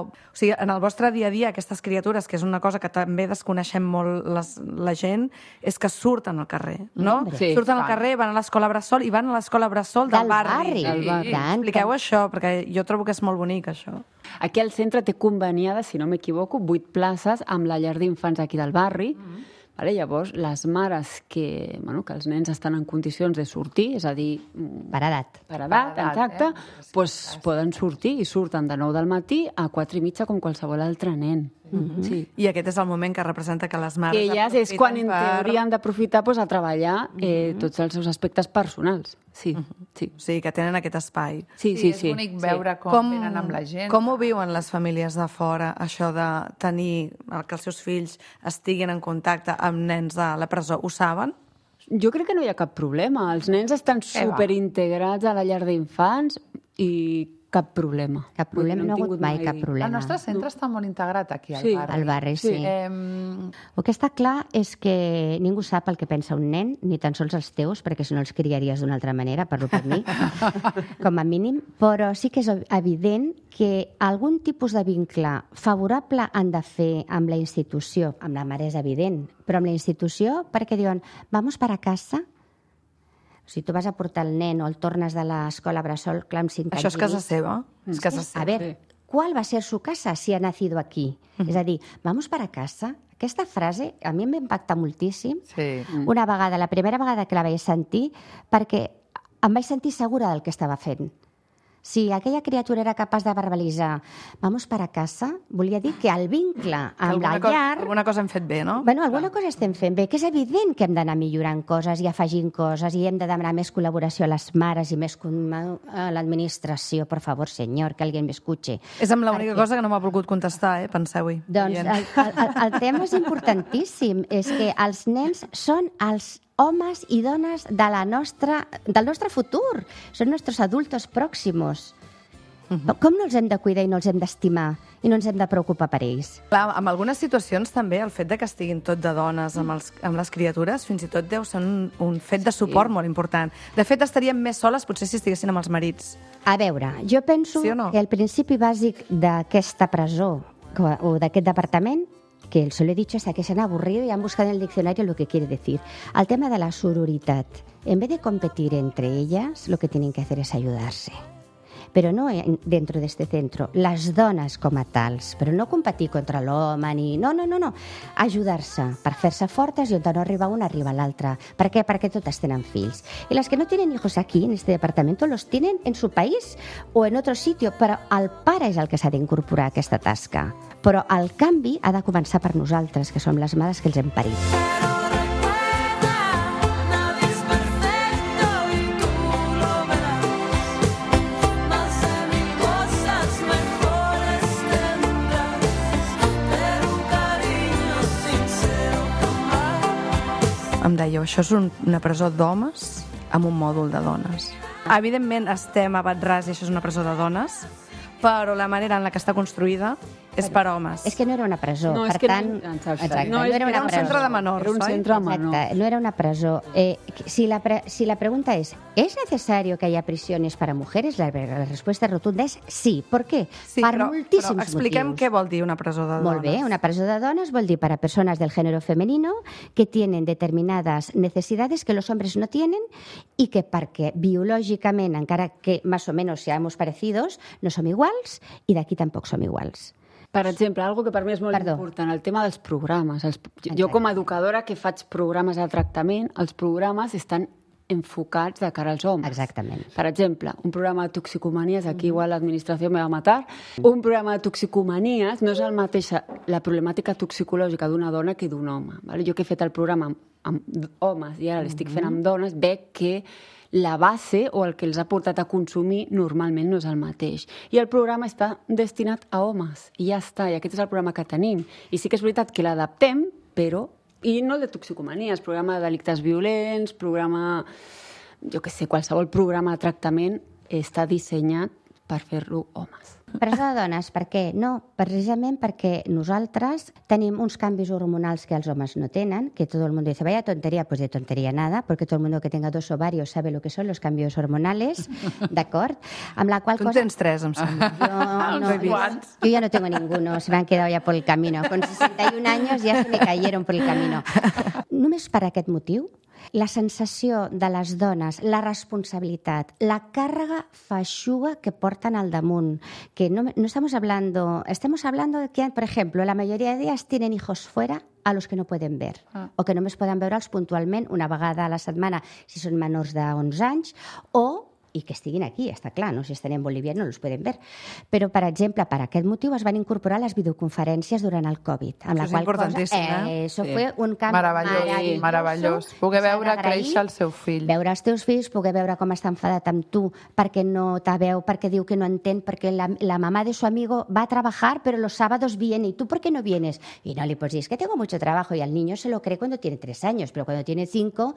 o sigui, en el vostre dia a dia, aquestes criatures, que és una cosa que també desconeixem molt les, la gent, és que surten al carrer, no? Sí, surten al fan. carrer, van a l'escola Bressol i van a l'escola Bressol del, Del barri. Sí. Del barri. Tant, Expliqueu tant. això, perquè jo trobo que és molt bonic, això. Aquí al centre té conveniades, si no m'equivoco, vuit places amb la llar d'infants aquí del barri. Mm-hmm. Vale? Llavors, les mares que, bueno, que els nens estan en condicions de sortir, és a dir... Per edat. Per edat, Per edat, exacte, eh? pues, poden sortir i surten de nou del matí a quatre i mitja com qualsevol altre nen. Mm-hmm. Sí. I aquest és el moment que representa que les mares Que elles és quan en aprofiten per- teoria han d'aprofitar pues, a treballar eh, tots els seus aspectes personals. Sí, sí. O sigui, que tenen aquest espai. Sí, sí, és sí. bonic veure com, Com, venen amb la gent. com ho viuen les famílies de fora, això de tenir que els seus fills estiguin en contacte amb nens de la presó? Ho saben? Jo crec que no hi ha cap problema. Els nens estan Què va? superintegrats a la llar d'infants i cap problema. Cap problema, Vull dir, no ha hem hagut tingut mai mai- cap problema. El nostre centre està molt integrat aquí al Sí, barri. Al barri, sí. Em, El que està clar és que ningú sap el que pensa un nen, ni tan sols els teus, perquè si no els criaries d'una altra manera, parlo per mi, com a mínim, però sí que és evident que algun tipus de vincle favorable han de fer amb la institució, amb la mare és evident, però amb la institució perquè diuen, vamos para casa. Si tu vas a portar el nen o el tornes de l'escola Bressol, clar, amb cinc Això és anys i casa mig, seva? És casa seva. a ver, ¿cuál va a ser su casa si ha nacido aquí? És a dir, vamos para casa. Aquesta frase a mi em va impactar moltíssim. sí. Una vegada, la primera vegada que la vaig sentir, perquè em vaig sentir segura del que estava fent. Si aquella criatura era capaç de verbalitzar vamos para casa, volia dir que el vincle amb alguna, la cosa, llar... alguna cosa hem fet bé, no? Bueno, alguna cosa estem fent bé, que és evident que hem d'anar millorant coses i afegint coses i hem de demanar més col·laboració a les mares i més com- a l'administració, por favor, senyor, que alguien me escuche. És amb l'única Perquè- cosa que no m'ha volgut contestar, eh? Penseu-hi. Doncs el, el, el, el tema és importantíssim, és que els nens són els homes i dones de la nostra, del nostre futur, són nostres adultos pròximos. Uh-huh. Com no els hem de cuidar i no els hem d'estimar i no ens hem de preocupar per ells? Clar, en algunes situacions també el fet de que estiguin tot de dones amb, els, amb les criatures fins i tot deu ser un, un fet de suport molt important. De fet, estaríem més soles potser si estiguessin amb els marits. A veure, jo penso Sí o no? que el principi bàsic d'aquesta presó co- o d'aquest departament, que se lo he dicho hasta que se han aburrido y han buscado en el diccionario lo que quiere decir. El tema de la sororidad. En vez de competir entre ellas, lo que tienen que hacer es ayudarse. Però no en- dentro de este centro, les dones com a tals, però no competir contra l'home ni... No, no, no, no. Ajudar-se per fer-se fortes i on no arriba una arriba l'altra. Per què? Perquè totes tenen fills. I les que no tienen hijos aquí, en este departamento, los tienen en su país o en otro sitio, però el pare és el que s'ha d'incorporar a aquesta tasca. Però el canvi ha de començar per nosaltres, que som les mares que els hem parit. Nadie es perfecto y tú lo verás. Más de mil cosas mejores tendrás, pero un cariño sincero jamás. Em dèieu, això és un, una presó d'homes amb un mòdul de dones. Evidentment estem a Batràs i això és una presó de dones, però la manera en la que està construïda és per homes. És que no era una presó, No, és per que no- tant... exacte. Exacte, No, és que era un presó. centre de menors, Era un oi? centre menor. Exacte, no era una presó. Eh, si, la pre si la pregunta es, ¿es necesario que haya prisiones para mujeres? La, la respuesta rotunda es sí. ¿Por qué? Sí, per però, moltíssims però expliquem motius. què vol dir una presó de dones. Molt bé, una presó de dones vol dir para personas del género femenino que tienen determinadas necesidades que los hombres no tienen y que perquè biològicament, encara que más o menos seamos parecidos, no som iguals i d'aquí tampoc som iguals. Per exemple, algo que per mi és molt Perdó. important, el tema dels programes. Els, jo Exacte. com a educadora que faig programes de tractament, els programes estan enfocats de cara als homes. Exactament. Per exemple, un programa de toxicomanies, aquí igual l'administració me va matar, un programa de toxicomanies no és el mateix la problemàtica toxicològica d'una dona que d'un home. Vale? Jo que he fet el programa amb, amb homes i ara l'estic fent amb dones, veig que la base o el que els ha portat a consumir normalment no és el mateix. I el programa està destinat a homes, i ja està, i aquest és el programa que tenim. I sí que és veritat que l'adaptem, però... I no el de toxicomanies, programa de delictes violents, programa... jo què sé, qualsevol programa de tractament està dissenyat per fer-lo homes. Presó de dones, per què? No, precisament perquè nosaltres tenim uns canvis hormonals que els homes no tenen, que tot el mundo dice, vaya tontería, pues de tontería nada, porque todo el mundo que tenga dos ovarios sabe lo que son los cambios hormonales, d'acord? Amb la qual Tu cosa... en tens tres, em sembla. Yo, no, yo, yo ya no tengo ninguno, se me han quedado ya por el camino. Con sesenta y un años ya se me cayeron por el camino. Només per aquest motiu, la sensació de les dones, la responsabilitat, la càrrega feixuga que porten al damunt, que no, no estamos hablando, estamos hablando de que, por ejemplo, la mayoría de ellas tienen hijos fuera a los que no pueden ver, ah. o que només poden veure'ls puntualment una vegada a la setmana si són menors d'onze anys, o i que estiguin aquí, està clar, no? Si estan en Bolívia no els poden ver. Però, per exemple, per aquest motiu es van incorporar les videoconferències durant el Covid. Amb Això la és qual importantíssim, cosa, eh? eh? Això Sí. fue un canvi Meravellós, meravelloso. meravellós. Poder S'ha veure d'agrair, créixer el seu fill. Veure els teus fills, poder veure com està enfadat amb tu perquè no te veu, perquè diu que no entén, perquè la, la mamá de su amigo va a trabajar, pero los sábados viene, ¿y tú por qué no vienes? Y no le puedes decir, es que tengo mucho trabajo, y al niño se lo cree cuando tiene tres años, pero cuando tiene cinco...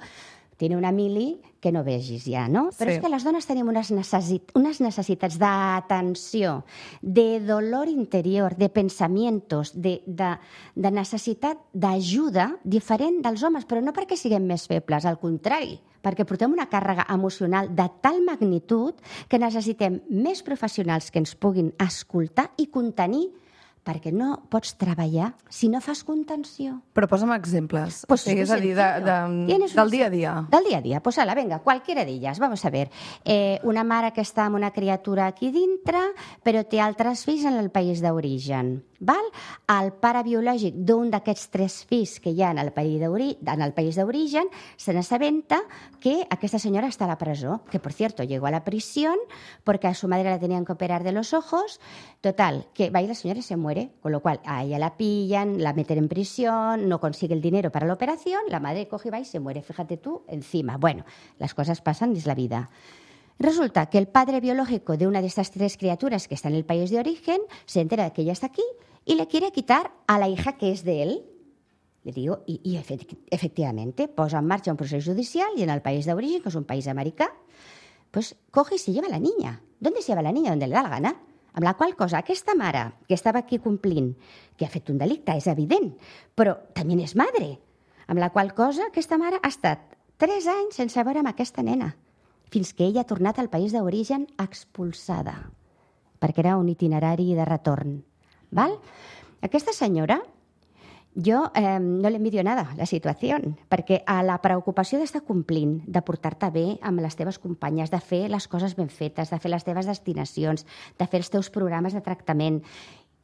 tiene una mili que no vegis ja, no? Però Sí. és que les dones tenim unes, necessit unes necessitats d'atenció, de dolor interior, de pensamientos, de, de, de necessitat d'ajuda diferent dels homes, però no perquè siguem més febles, al contrari, perquè portem una càrrega emocional de tal magnitud que necessitem més professionals que ens puguin escoltar i contenir, perquè no pots treballar si no fas contenció. Però posa'm exemples. Pues o sigui, és muy a dir, de, de, Tienes del una- dia a dia. Del dia a dia. Pues ala, venga, cualquiera d'elles. Vamos a ver. Eh, una mare que està amb una criatura aquí dintre, però té altres fills en el país d'origen. Val? El pare biològic d'un d'aquests tres fills que hi ha en el país d'ori- en el país d'origen se n'assabenta que aquesta senyora està a la presó, que por cierto llegó a la prisión porque a su madre la tenían que operar de los ojos. Total, que va y la señora se muere, con lo cual a ella la pillan, la meten en prisión, no consigue el dinero para la operación, la madre coge y va y se muere, fíjate tú, encima. Bueno, las cosas pasan, es la vida. Resulta que el padre biológico de una de estas tres criaturas que está en el país de origen se entera de que ella está aquí y le quiere quitar a la hija que es de él. Le digo, y, y efect efectivamente, posa en marcha un proceso judicial y en el país de origen, que es un país americà, pues coge y se lleva a la niña. ¿Dónde se lleva la niña? Donde le da la gana. Amb la qual cosa, aquesta mare que estava aquí complint, que ha fet un delicte, és evident, però també és madre. Amb la qual cosa, aquesta mare ha estat tres anys sense veure amb aquesta nena, fins que ella ha tornat al país d'origen expulsada, perquè era un itinerari de retorn. Val? Aquesta senyora, jo eh, no l'envidio nada, la situació, perquè a la preocupació d'estar complint, de portar-te bé amb les teves companyes, de fer les coses ben fetes, de fer les teves destinacions, de fer els teus programes de tractament,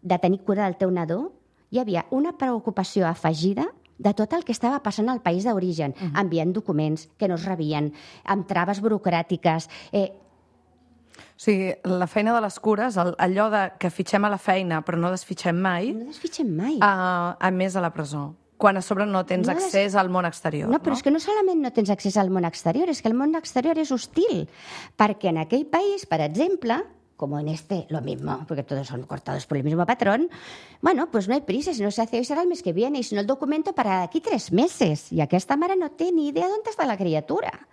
de tenir cura del teu nadó, hi havia una preocupació afegida de tot el que estava passant al país d'origen, uh-huh. enviant documents que no es rebien, amb traves burocràtiques. Eh, O sigui, la feina de les cures, el, allò de que fitxem a la feina però no desfitxem mai... No desfitxem mai. A, a més a la presó. Quan a sobre no tens No des- accés al món exterior. No, però és que no solament no tens accés al món exterior, és que el món exterior és hostil, perquè en aquell país, per exemple, como en este, lo mismo, porque todos son cortados por el mismo patrón, bueno, pues no hay prisa, si no se hace hoy será el mes que viene, y si no el documento para aquí tres meses, y aquesta mare no té ni idea dónde está la criatura.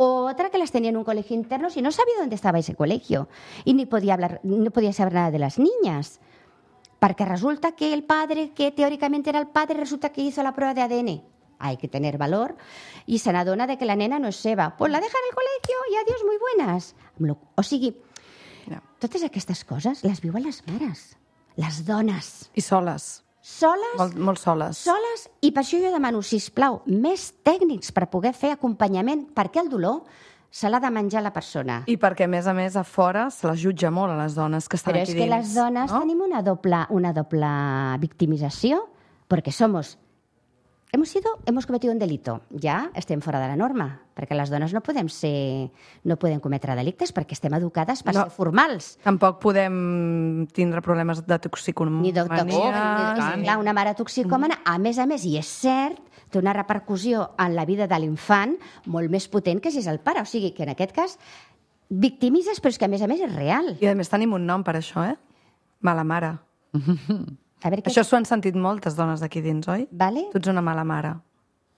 Otra que las tenía en un colegio interno y no sabía dónde estaba ese colegio, y ni podía hablar, no podía saber nada de las niñas. Porque resulta que el padre, que teóricamente era el padre, resulta que hizo la prueba de A D N. Hay que tener valor. Y se n'adona de que la nena no és seva. Pues la deja en el colegio i adiós, muy buenas. O sigui, no. totes aquestes coses les viuen les mares, les dones. I soles. Soles. Molt, molt soles. Soles, i per això jo demano, sisplau, més tècnics per poder fer acompanyament, perquè el dolor se l'ha de menjar la persona. I perquè, a més a més, a fora se les jutja molt a les dones que estan Però aquí és que dins. les dones no? tenim una doble, una doble victimització, perquè somos hemos sido, hemos cometido un delito. Ja estem fora de la norma, perquè les dones no podem ser, no podem cometre delictes perquè estem educades per No. ser formals. Tampoc podem tindre problemes de toxicomania. Ni de toxicomania. Clar, una mare toxicòmana, a més a més, i és cert, té una repercussió en la vida de l'infant molt més potent que si és el pare. O sigui que en aquest cas victimitzes, però és que a més a més és real. I a més tenim un nom per això, eh? Mala mare. A veure, Això s'ho han sentit moltes dones d'aquí dins, oi? Vale. Tu ets una mala mare,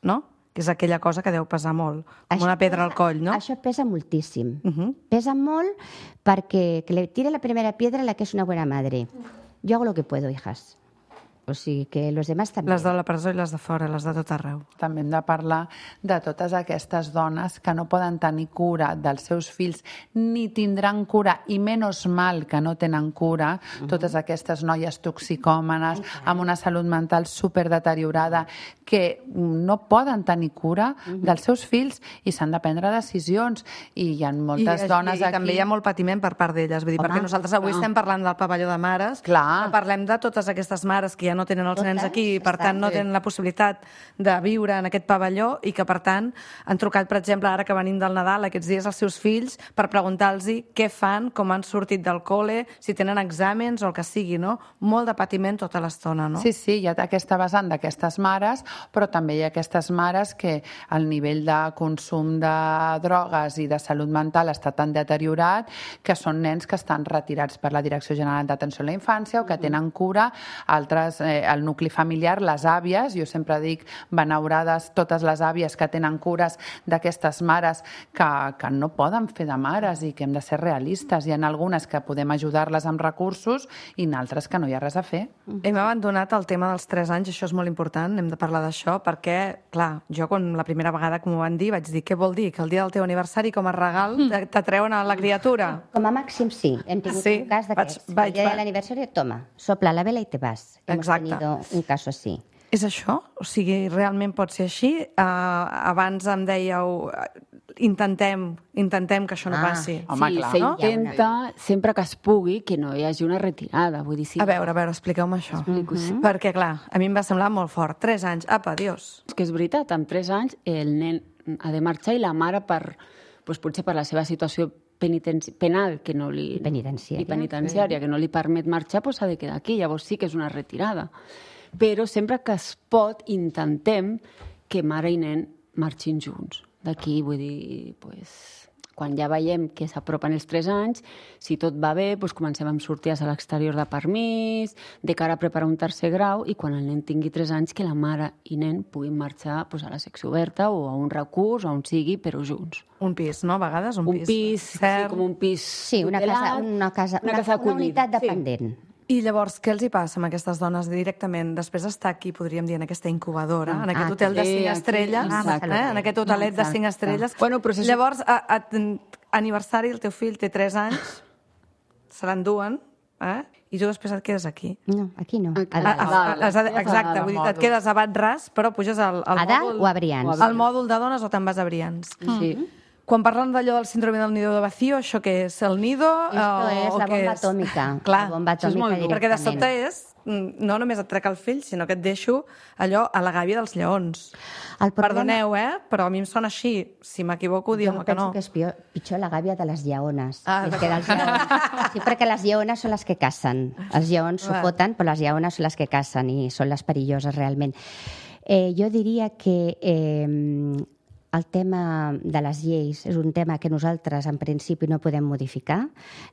no? Que és aquella cosa que deu pesar molt, com una pedra al coll, no? Això pesa moltíssim. Uh -huh. Pesa molt perquè que le tire la primera piedra la que és una buena madre. Yo hago lo que puedo, hijas. O sigui que los demás també. Les de la presó i les de fora, les de tot arreu. També hem de parlar de totes aquestes dones que no poden tenir cura dels seus fills ni tindran cura, i menys mal que no tenen cura, uh -huh. totes aquestes noies toxicòmanes amb una salut mental superdeteriorada que no poden tenir cura uh -huh. dels seus fills i s'han de prendre decisions, i hi ha moltes I, dones i, aquí... I també hi ha molt patiment per part d'elles, vull dir, Home, perquè nosaltres avui clar. estem parlant del pavelló de mares, Clar. però parlem de totes aquestes mares que ja no tenen els Totes, nens aquí i per estan tant no bé. tenen la possibilitat de viure en aquest pavelló i que per tant han trucat, per exemple, ara que venim del Nadal aquests dies als seus fills per preguntar-los què fan, com han sortit del col·le, si tenen exàmens o el que sigui, no? Molt de patiment tota l'estona, no? Sí, sí, hi ha aquesta vessant d'aquestes mares, però també hi ha aquestes mares que el nivell de consum de drogues i de salut mental està tan deteriorat que són nens que estan retirats per la Direcció General d'Atenció a la Infància o que tenen cura, altres, eh, el nucli familiar, les àvies, jo sempre dic benaurades totes les àvies que tenen cures d'aquestes mares que, que no poden fer de mares i que hem de ser realistes. Hi ha algunes que podem ajudar-les amb recursos i en altres que no hi ha res a fer. Hem abandonat el tema dels tres anys, això és molt important, hem de parlar d'això, perquè, clar, jo quan la primera vegada que m'ho van dir vaig dir, què vol dir? Que el dia del teu aniversari com a regal te- t'atreuen a la criatura? Com a màxim sí, hem tingut Sí, un cas d'aquests. vaig- vaig- El dia de l'aniversari, toma, sopla la vela i te vas. Hemos Exacte. tenido un cas així. És això? O sigui, realment pot ser així? Uh, abans em dèieu, uh, intentem, intentem que això no Ah, passi. Sí, s'intenta, sempre que es pugui, que no hi hagi una retirada. Vull dir, sí. A veure, a veure, expliqueu-me això. Explico, sí. Perquè, clar, a mi em va semblar molt fort. Tres anys, apa, adiós. És que és veritat, amb tres anys el nen ha de marxar i la mare, per, doncs potser per la seva situació penitenci- penal que no li... Penitenciària. I penitenciària, que no li permet marxar, doncs s'ha de quedar aquí. Llavors sí que és una retirada. Però sempre que es pot, intentem que mare i nen marxin junts. D'aquí, vull dir, doncs, quan ja veiem que s'apropen els tres anys, si tot va bé, doncs comencem amb sortides a l'exterior de permís, de cara a preparar un tercer grau, i quan el nen tingui tres anys, que la mare i nen puguin marxar doncs, a la secció oberta o a un recurs, o on sigui, però junts. Un pis, no? A vegades un, Un pis, sí, com un pis Sí, una casa, una casa, una una, casa una acollida. unitat dependent. I llavors, què els hi passa amb aquestes dones directament? Després d'estar aquí, podríem dir, en aquesta incubadora, en aquest Ah, hotel de sí, cinc aquí, estrelles, exacte. eh? en aquest hotelet de cinc Exacte. estrelles. Bueno, però si és- Llavors, a, a, aniversari, el teu fill té tres anys, se l'enduen, eh? i tu després et quedes aquí. No, aquí no. Aquí. A A, dalt. a, a, a, a exacte, dalt, vull dir, mòdul. et quedes a Bat Ras, però puges al, al A dalt mòdul... o a Brians? Al mòdul de dones o te'n vas a Brians. Sí. Quan parlen d'allò del síndrome del nido de vacío, això què és? El nido? Esto o, es o la què bomba és? atòmica. Clar, La bomba això és molt atòmica dur, perquè de directament. sobte és, mm, no només et trec el fill, sinó que et deixo allò a la gàbia dels lleons. El problema- Perdoneu, eh? Però a mi em sona així. Si m'equivoco, Jo dieu-me que penso no. que és pitjor, pitjor la gàbia de les lleones. Ah, més que dels lleons. Sí, perquè les lleones són les que cacen. Els lleons s'ho Va. foten, però les lleones són les que cacen i són les perilloses realment. Eh, jo diria que eh, el tema de les lleis és un tema que nosaltres en principi no podem modificar,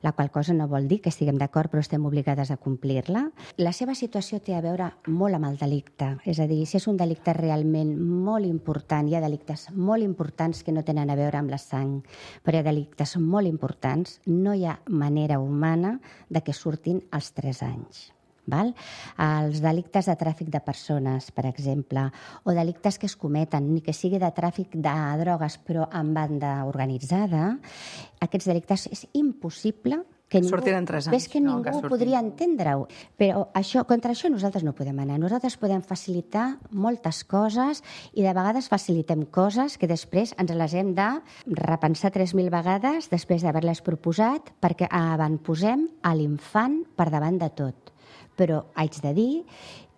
la qual cosa no vol dir que estiguem d'acord però estem obligades a complir-la. La seva situació té a veure molt amb el delicte, és a dir, si és un delicte realment molt important, hi ha delictes molt importants que no tenen a veure amb la sang, però hi ha delictes molt importants, no hi ha manera humana de que surtin als tres anys. Val? Els delictes de tràfic de persones, per exemple, o delictes que es cometen, ni que sigui de tràfic de drogues però en banda organitzada, aquests delictes és impossible que ningú, Sortin en tres anys. ves que No, ningú que surtin. podria entendre-ho. Però això, contra això nosaltres no podem anar. Nosaltres podem facilitar moltes coses i de vegades facilitem coses que després ens les hem de repensar tres mil vegades després d'haver-les proposat perquè avantposem a l'infant per davant de tot. Però haig de dir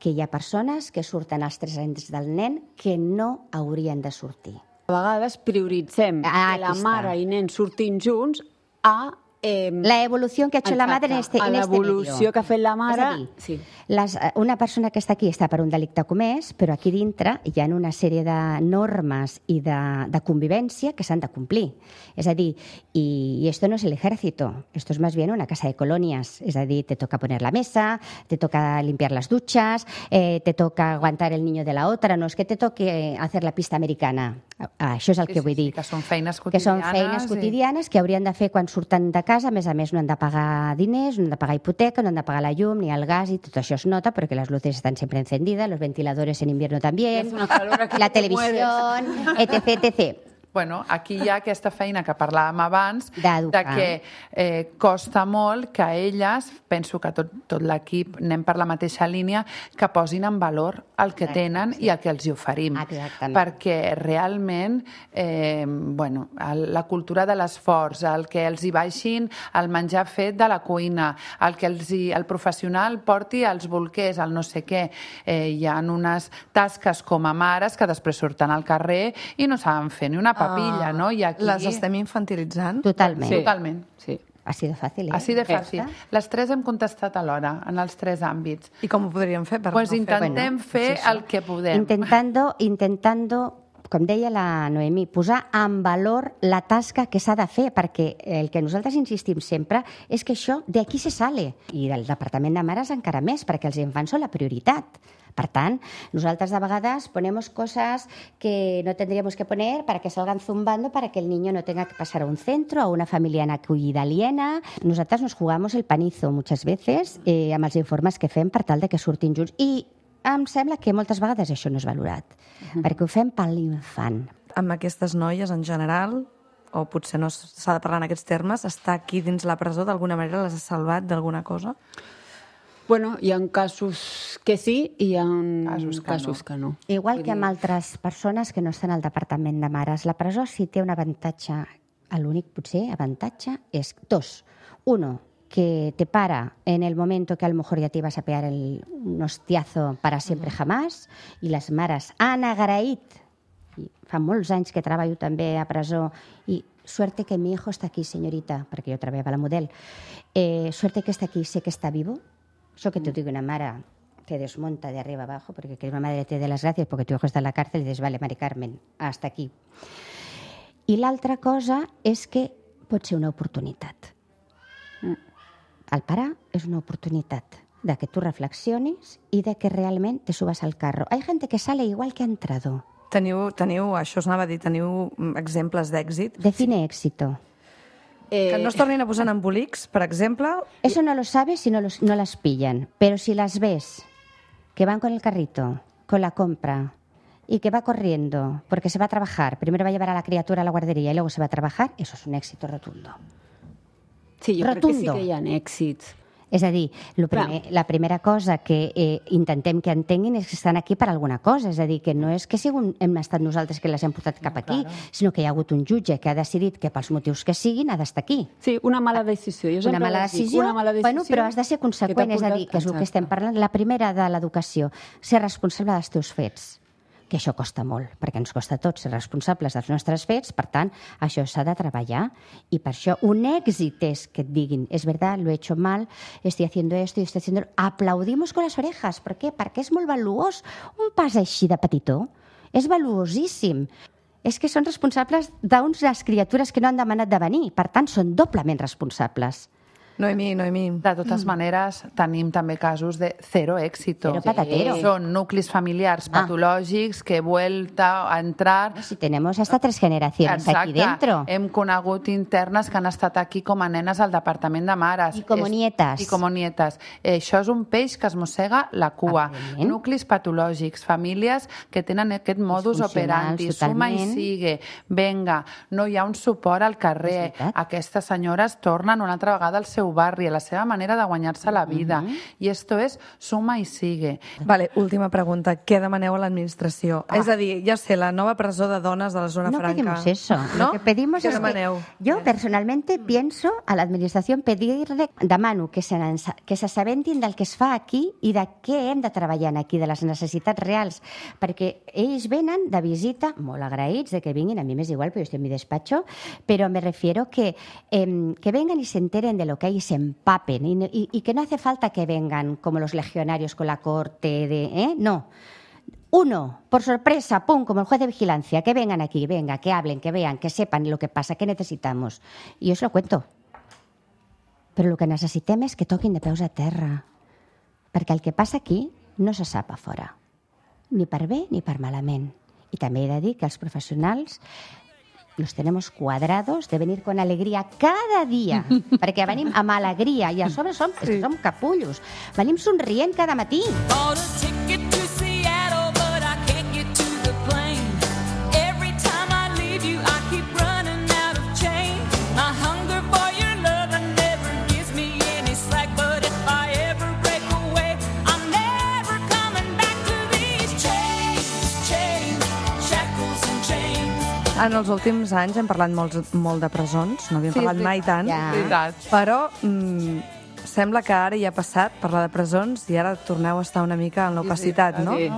que hi ha persones que surten als tres anys del nen que no haurien de sortir. A vegades prioritzem Ah, que la aquí està. mare i nen surtin junts a... Eh, La evolución que ha hecho la madre en este, a en este l'evolució medio. que ha fet la mare... És a dir, sí. Les, una persona que està aquí està per un delicte comès, però aquí dintre hi ha una sèrie de normes i de, de convivència que s'han de complir. És a dir, y, y esto no es el ejército, esto es más bien una casa de colonias. És a dir, te toca poner la mesa, te toca limpiar las duchas, eh, te toca aguantar el niño de la otra, no es que te toque hacer la pista americana. Ah, això és el Sí, que sí, vull sí, dir. que són feines Que són quotidianes feines i- quotidianes que haurien de fer quan surten de casa. A més a més, no han de pagar diners, no han de pagar hipoteca, no han de pagar la llum ni el gas, y tot això es nota porque las luces están siempre encendidas, los ventiladores en invierno también, Hace una calor aquí la que te televisión, etc, etcétera. Bueno, aquí hi ha aquesta feina que parlàvem abans, D'educar. de que eh, costa molt que elles, penso que tot, tot l'equip anem per la mateixa línia, que posin en valor el que tenen i el que els hi oferim. Exactament. Perquè realment, eh, bueno, el, la cultura de l'esforç, el que els hi baixin el menjar fet de la cuina, el que els hi, el professional porti els bolquers, el no sé què, eh, hi ha unes tasques com a mares que després surten al carrer i no saben fer ni una papilla, Ah, no? I aquí... Les estem infantilitzant? Totalment. Sí. Totalment. Sí. Ha sido fácil, ¿eh? Així de fàcil. Ja està. Les tres hem contestat alhora, en els tres àmbits. I com ho podríem fer? Per Pues no fer- intentem Bueno, fer és això. el que podem. Intentando, intentando, com deia la Noemí, posar en valor la tasca que s'ha de fer, perquè el que nosaltres insistim sempre és que això d'aquí se sale. I del Departament de Mares encara més, perquè els infants són la prioritat. Per tant, nosaltres de vegades ponemos cosas que no tendríamos que poner para que salgan zumbando para que el niño no tenga que pasar a un centro, a una familia en acogida aliena. Nosaltres nos jugamos el panizo muchas veces eh, amb els informes que fem per tal de que surtin junts. I em sembla que moltes vegades això no és valorat, uh-huh. perquè ho fem per l'infant. Amb aquestes noies en general, o potser no s'ha de parlar en aquests termes, estar aquí dins la presó d'alguna manera les ha salvat d'alguna cosa? Bueno, hi ha casos que sí i hi ha Casos que casos no. que no. Igual que amb altres persones que no estan al Departament de Mares. La presó sí té un avantatge, l'únic potser avantatge és dos. Uno, que te para en el momento que a lo mejor ya te ibas a pegar el, un hostiazo para siempre jamás, i les mares han agraït, i fa molts anys que treballo també a presó, i suerte que mi hijo está aquí, señorita, perquè jo treballava a la Model, eh, suerte que está aquí, sé que está vivo. Això que te digo, una mare te desmonta de arriba abajo porque que una madre te dé las gracias porque tu hijo está en la cárcel y dices, vale, Mari Carmen, hasta aquí. I l'altra cosa és que pot ser una oportunitat. El parar és una oportunitat de que tu reflexionis i de que realment te subas al carro. Hay gente que sale igual que ha entrado. Teniu, teniu, això us anava a dir, teniu mm, exemples d'èxit? Define éxito. Que no es tornin a posar en embolics, per exemple? Eso no lo sabes si no, los, no las pillan. Pero si las ves, que van con el carrito, con la compra, y que va corriendo, porque se va a trabajar, primero va a llevar a la criatura a la guardería y luego se va a trabajar, eso es un éxito rotundo. Sí, jo Rotundo. crec que sí que hi ha èxits. És a dir, lo primer, la primera cosa que eh, intentem que entenguin és que estan aquí per alguna cosa. És a dir, que no és que sigun, hem estat nosaltres que les hem portat cap aquí, Claro. sinó que hi ha hagut un jutge que ha decidit que pels motius que siguin ha d'estar aquí. Sí, una mala decisió. Jo Una sempre mala les dic, decisió, una mala decisió bueno, però has de ser conseqüent, que és t'ha a dir, que és el que portat- estem parlant. La primera de l'educació, ser responsable dels teus fets, que això costa molt, perquè ens costa a tots ser responsables dels nostres fets, per tant, això s'ha de treballar, i per això un èxit és que et diguin, és verdad, lo he hecho mal, estoy haciendo esto y estoy haciendo... Aplaudimos con las orejas, per què? Perquè és molt valuós. Un pas així de petitó és valuosíssim. És que són responsables d'unes criatures que no han demanat de venir, per tant, són doblement responsables. Noemí, Noemí. De totes maneres, tenim també casos de cero èxito. Cero patatero. Són nuclis familiars Ah. patològics que he vuelta a entrar... Si tenemos hasta tres generaciones aquí dentro. Hem conegut internes que han estat aquí com a nenes al Departament de Mares. I com És- nietes. I com nietes. Eh, això és un peix que es mossega la cua. Evidentment. Nuclis patològics, famílies que tenen aquest modus Disfuncionals, operandi. Suma i totalment. sigue. Venga, no hi ha un suport al carrer. És veritat. Aquestes senyores tornen una altra vegada al seu seu barri, a la seva manera de guanyar-se la vida. I esto es suma y sigue. Vale, última pregunta. Què demaneu a l'administració? Ah. És a dir, ja sé, la nova presó de dones de la zona No franca. pedimos eso. ¿No? Lo que pedimos ¿Qué es que demaneu? yo personalmente pienso a la administración pedirle, demano que se n'ensa- que s'assabentin del que es fa aquí i de què hem de treballar aquí, de les necessitats reals, perquè ells venen de visita, molt agraïts de que vinguin, a mi m'és igual, però jo estic en mi despacho, però me refiero que, eh, que vengan y se enteren de lo que hay y se empapen, y, y, y que no hace falta que vengan como los legionarios con la corte de... ¿eh? No. Uno, por sorpresa, pum, como el juez de vigilancia, que vengan aquí, venga, que hablen, que vean, que sepan lo que pasa, que necesitamos. I jo us lo cuento. Però el que necessitem és que toquin de peus a terra, perquè el que passa aquí no se sap a fora, ni per bé ni per malament. I també he de dir que els professionals los tenemos cuadrados de venir con alegria cada dia, perquè venim amb alegria i a sobre som, és que som capullos. Venim somrient cada matí. Bought a ticket to Seattle, but I can't get to the plane. Every time I leave you, I keep running out of change. My hunger for your love never gives me any slack, but if I ever break away, I'm never coming back to these chains, chains, shackles and chains. En els últims anys hem parlat molt, molt de presons, no havíem Sí, parlat és mai tant, veritat. És veritat. però mm, sembla que ara ja ha passat parlar de presons i ara torneu a estar una mica en l'opacitat, no? Sí.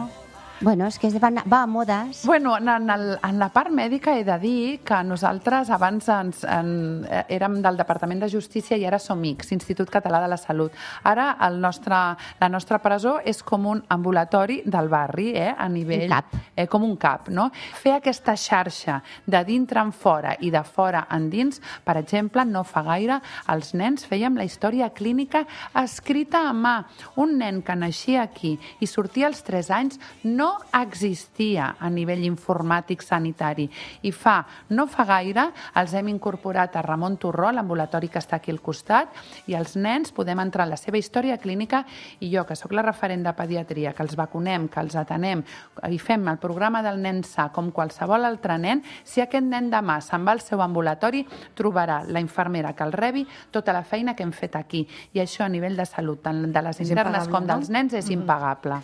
Bueno, és que es va, va a modes. Bueno, en, en, el, en la part mèdica he de dir que nosaltres abans ens, en, eh, érem del Departament de Justícia i ara som I C S, Institut Català de la Salut. Ara el nostre, la nostra presó és com un ambulatori del barri, eh, a nivell... Un cap. Eh, com un cap, no? Fer aquesta xarxa de dintre en fora i de fora endins, per exemple, no fa gaire els nens fèiem la història clínica escrita a mà. Un nen que naixia aquí i sortia als tres anys no existia a nivell informàtic sanitari. I fa, no fa gaire, els hem incorporat a Ramon Torró, l'ambulatori que està aquí al costat, i els nens podem entrar en la seva història clínica i jo, que sóc la referent de pediatria, que els vacunem, que els atenem, i fem el programa del nen sa com qualsevol altre nen, si aquest nen demà se'n va al seu ambulatori, trobarà la infermera que el rebi tota la feina que hem fet aquí. I això a nivell de salut, tant de les És internes impagable, com no? dels nens, és impagable.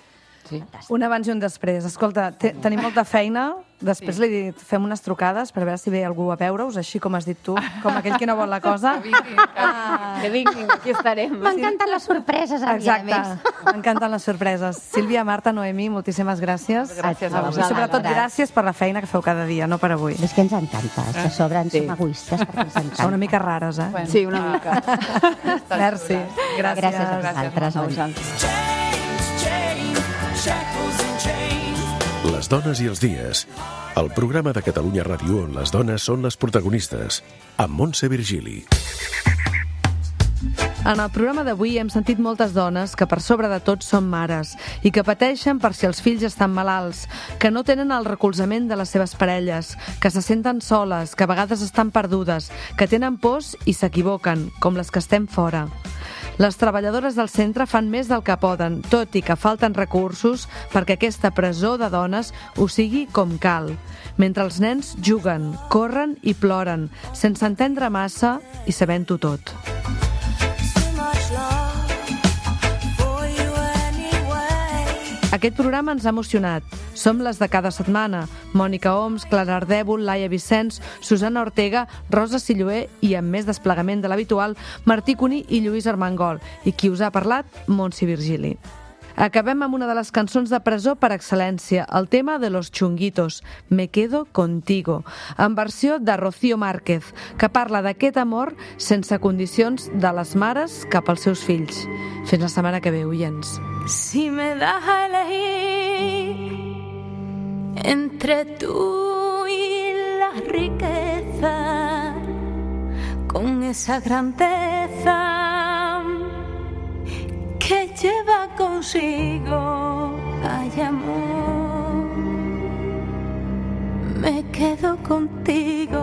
Sí. Un abans i un després. Escolta, te, tenim molta feina. Després Sí. li he dit, fem unes trucades per veure si ve algú a veure-us, així com has dit tu, com aquell que no vol la cosa. Que vinguin, Ah. Que vinguin, aquí estarem. M'encanten les sorpreses, a mi, a Exacte, més. m'encanten les sorpreses. Sílvia, Marta, Noemí, moltíssimes gràcies. Gràcies a I vosaltres. sobretot gràcies per la feina que feu cada dia, no per avui. És que ens encanta, és que a sobre ens Sí. som egoistes perquè ens Són una encanta. mica rares, eh? Bueno. Sí, una mica. Merci. Gràcies. Gràcies a vosaltres. A vosaltres. Chains, chains, shackles and chains. Les dones i els dies. El programa de Catalunya Ràdio on les dones són les protagonistes. Amb Montse Virgili. En el programa d'avui hem sentit moltes dones que per sobre de tot són mares i que pateixen per si els fills estan malalts, que no tenen el recolzament de les seves parelles, que se senten soles, que a vegades estan perdudes, que tenen pors i s'equivoquen, com les que estem fora. Les treballadores del centre fan més del que poden, tot i que falten recursos perquè aquesta presó de dones ho sigui com cal. Mentre els nens juguen, corren i ploren, sense entendre massa i sabent-ho tot. So much love for you anyway. Aquest programa ens ha emocionat. Som les de cada setmana. Mònica Oms, Clara Ardèvol, Laia Vicenç, Susana Ortega, Rosa Silloé i, amb més desplegament de l'habitual, Martí Cuní i Lluís Armengol. I qui us ha parlat? Montse Virgili. Acabem amb una de les cançons de presó per excel·lència, el tema de Los Chunguitos, Me quedo contigo, en versió de Rocío Márquez, que parla d'aquest amor sense condicions de les mares cap als seus fills. Fins la setmana que ve, oients. Si me das a elegir entre tú y la riqueza, con esa grandeza que lleva consigo, ay amor, me quedo contigo.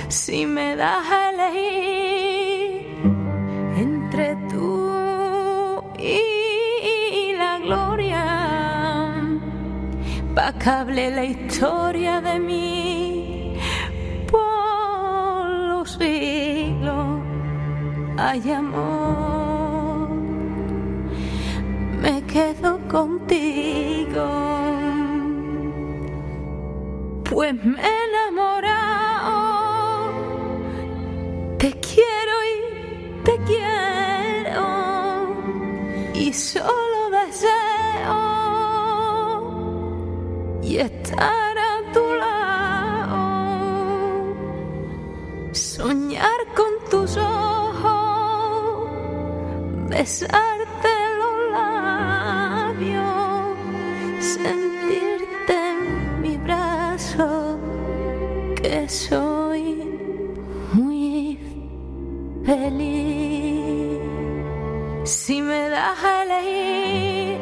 Si me das a elegir entre tú y la gloria, pa' que hable la historia de mí por los siglos. Ay, amor, me quedo contigo, pues me he enamorado. Te quiero y te quiero y solo deseo y estar a tu lado, soñar con tus ojos, besarte los labios, sentirte en mi brazo, que soy muy feliz. Si me das a elegir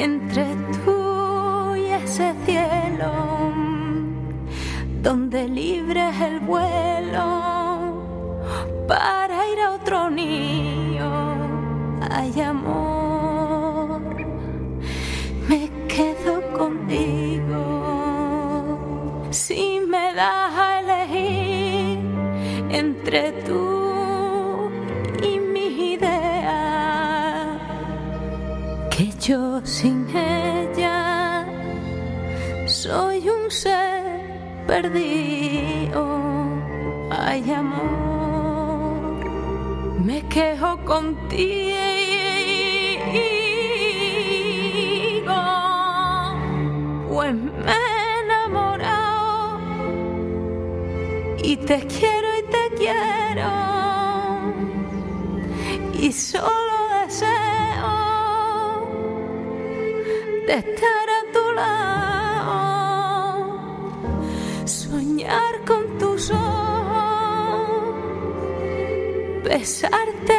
entre tú y ese cielo, donde libre es el vuelo para ir a otro nido, ay, amor, me quedo contigo. Si me das a elegir entre tú y mis ideas, que yo sin ella soy un ser perdido, ay, amor, me quejo contigo, pues me he enamorado y te quiero y te quiero y solo deseo de estar a tu lado, soñar con tus ojos, besarte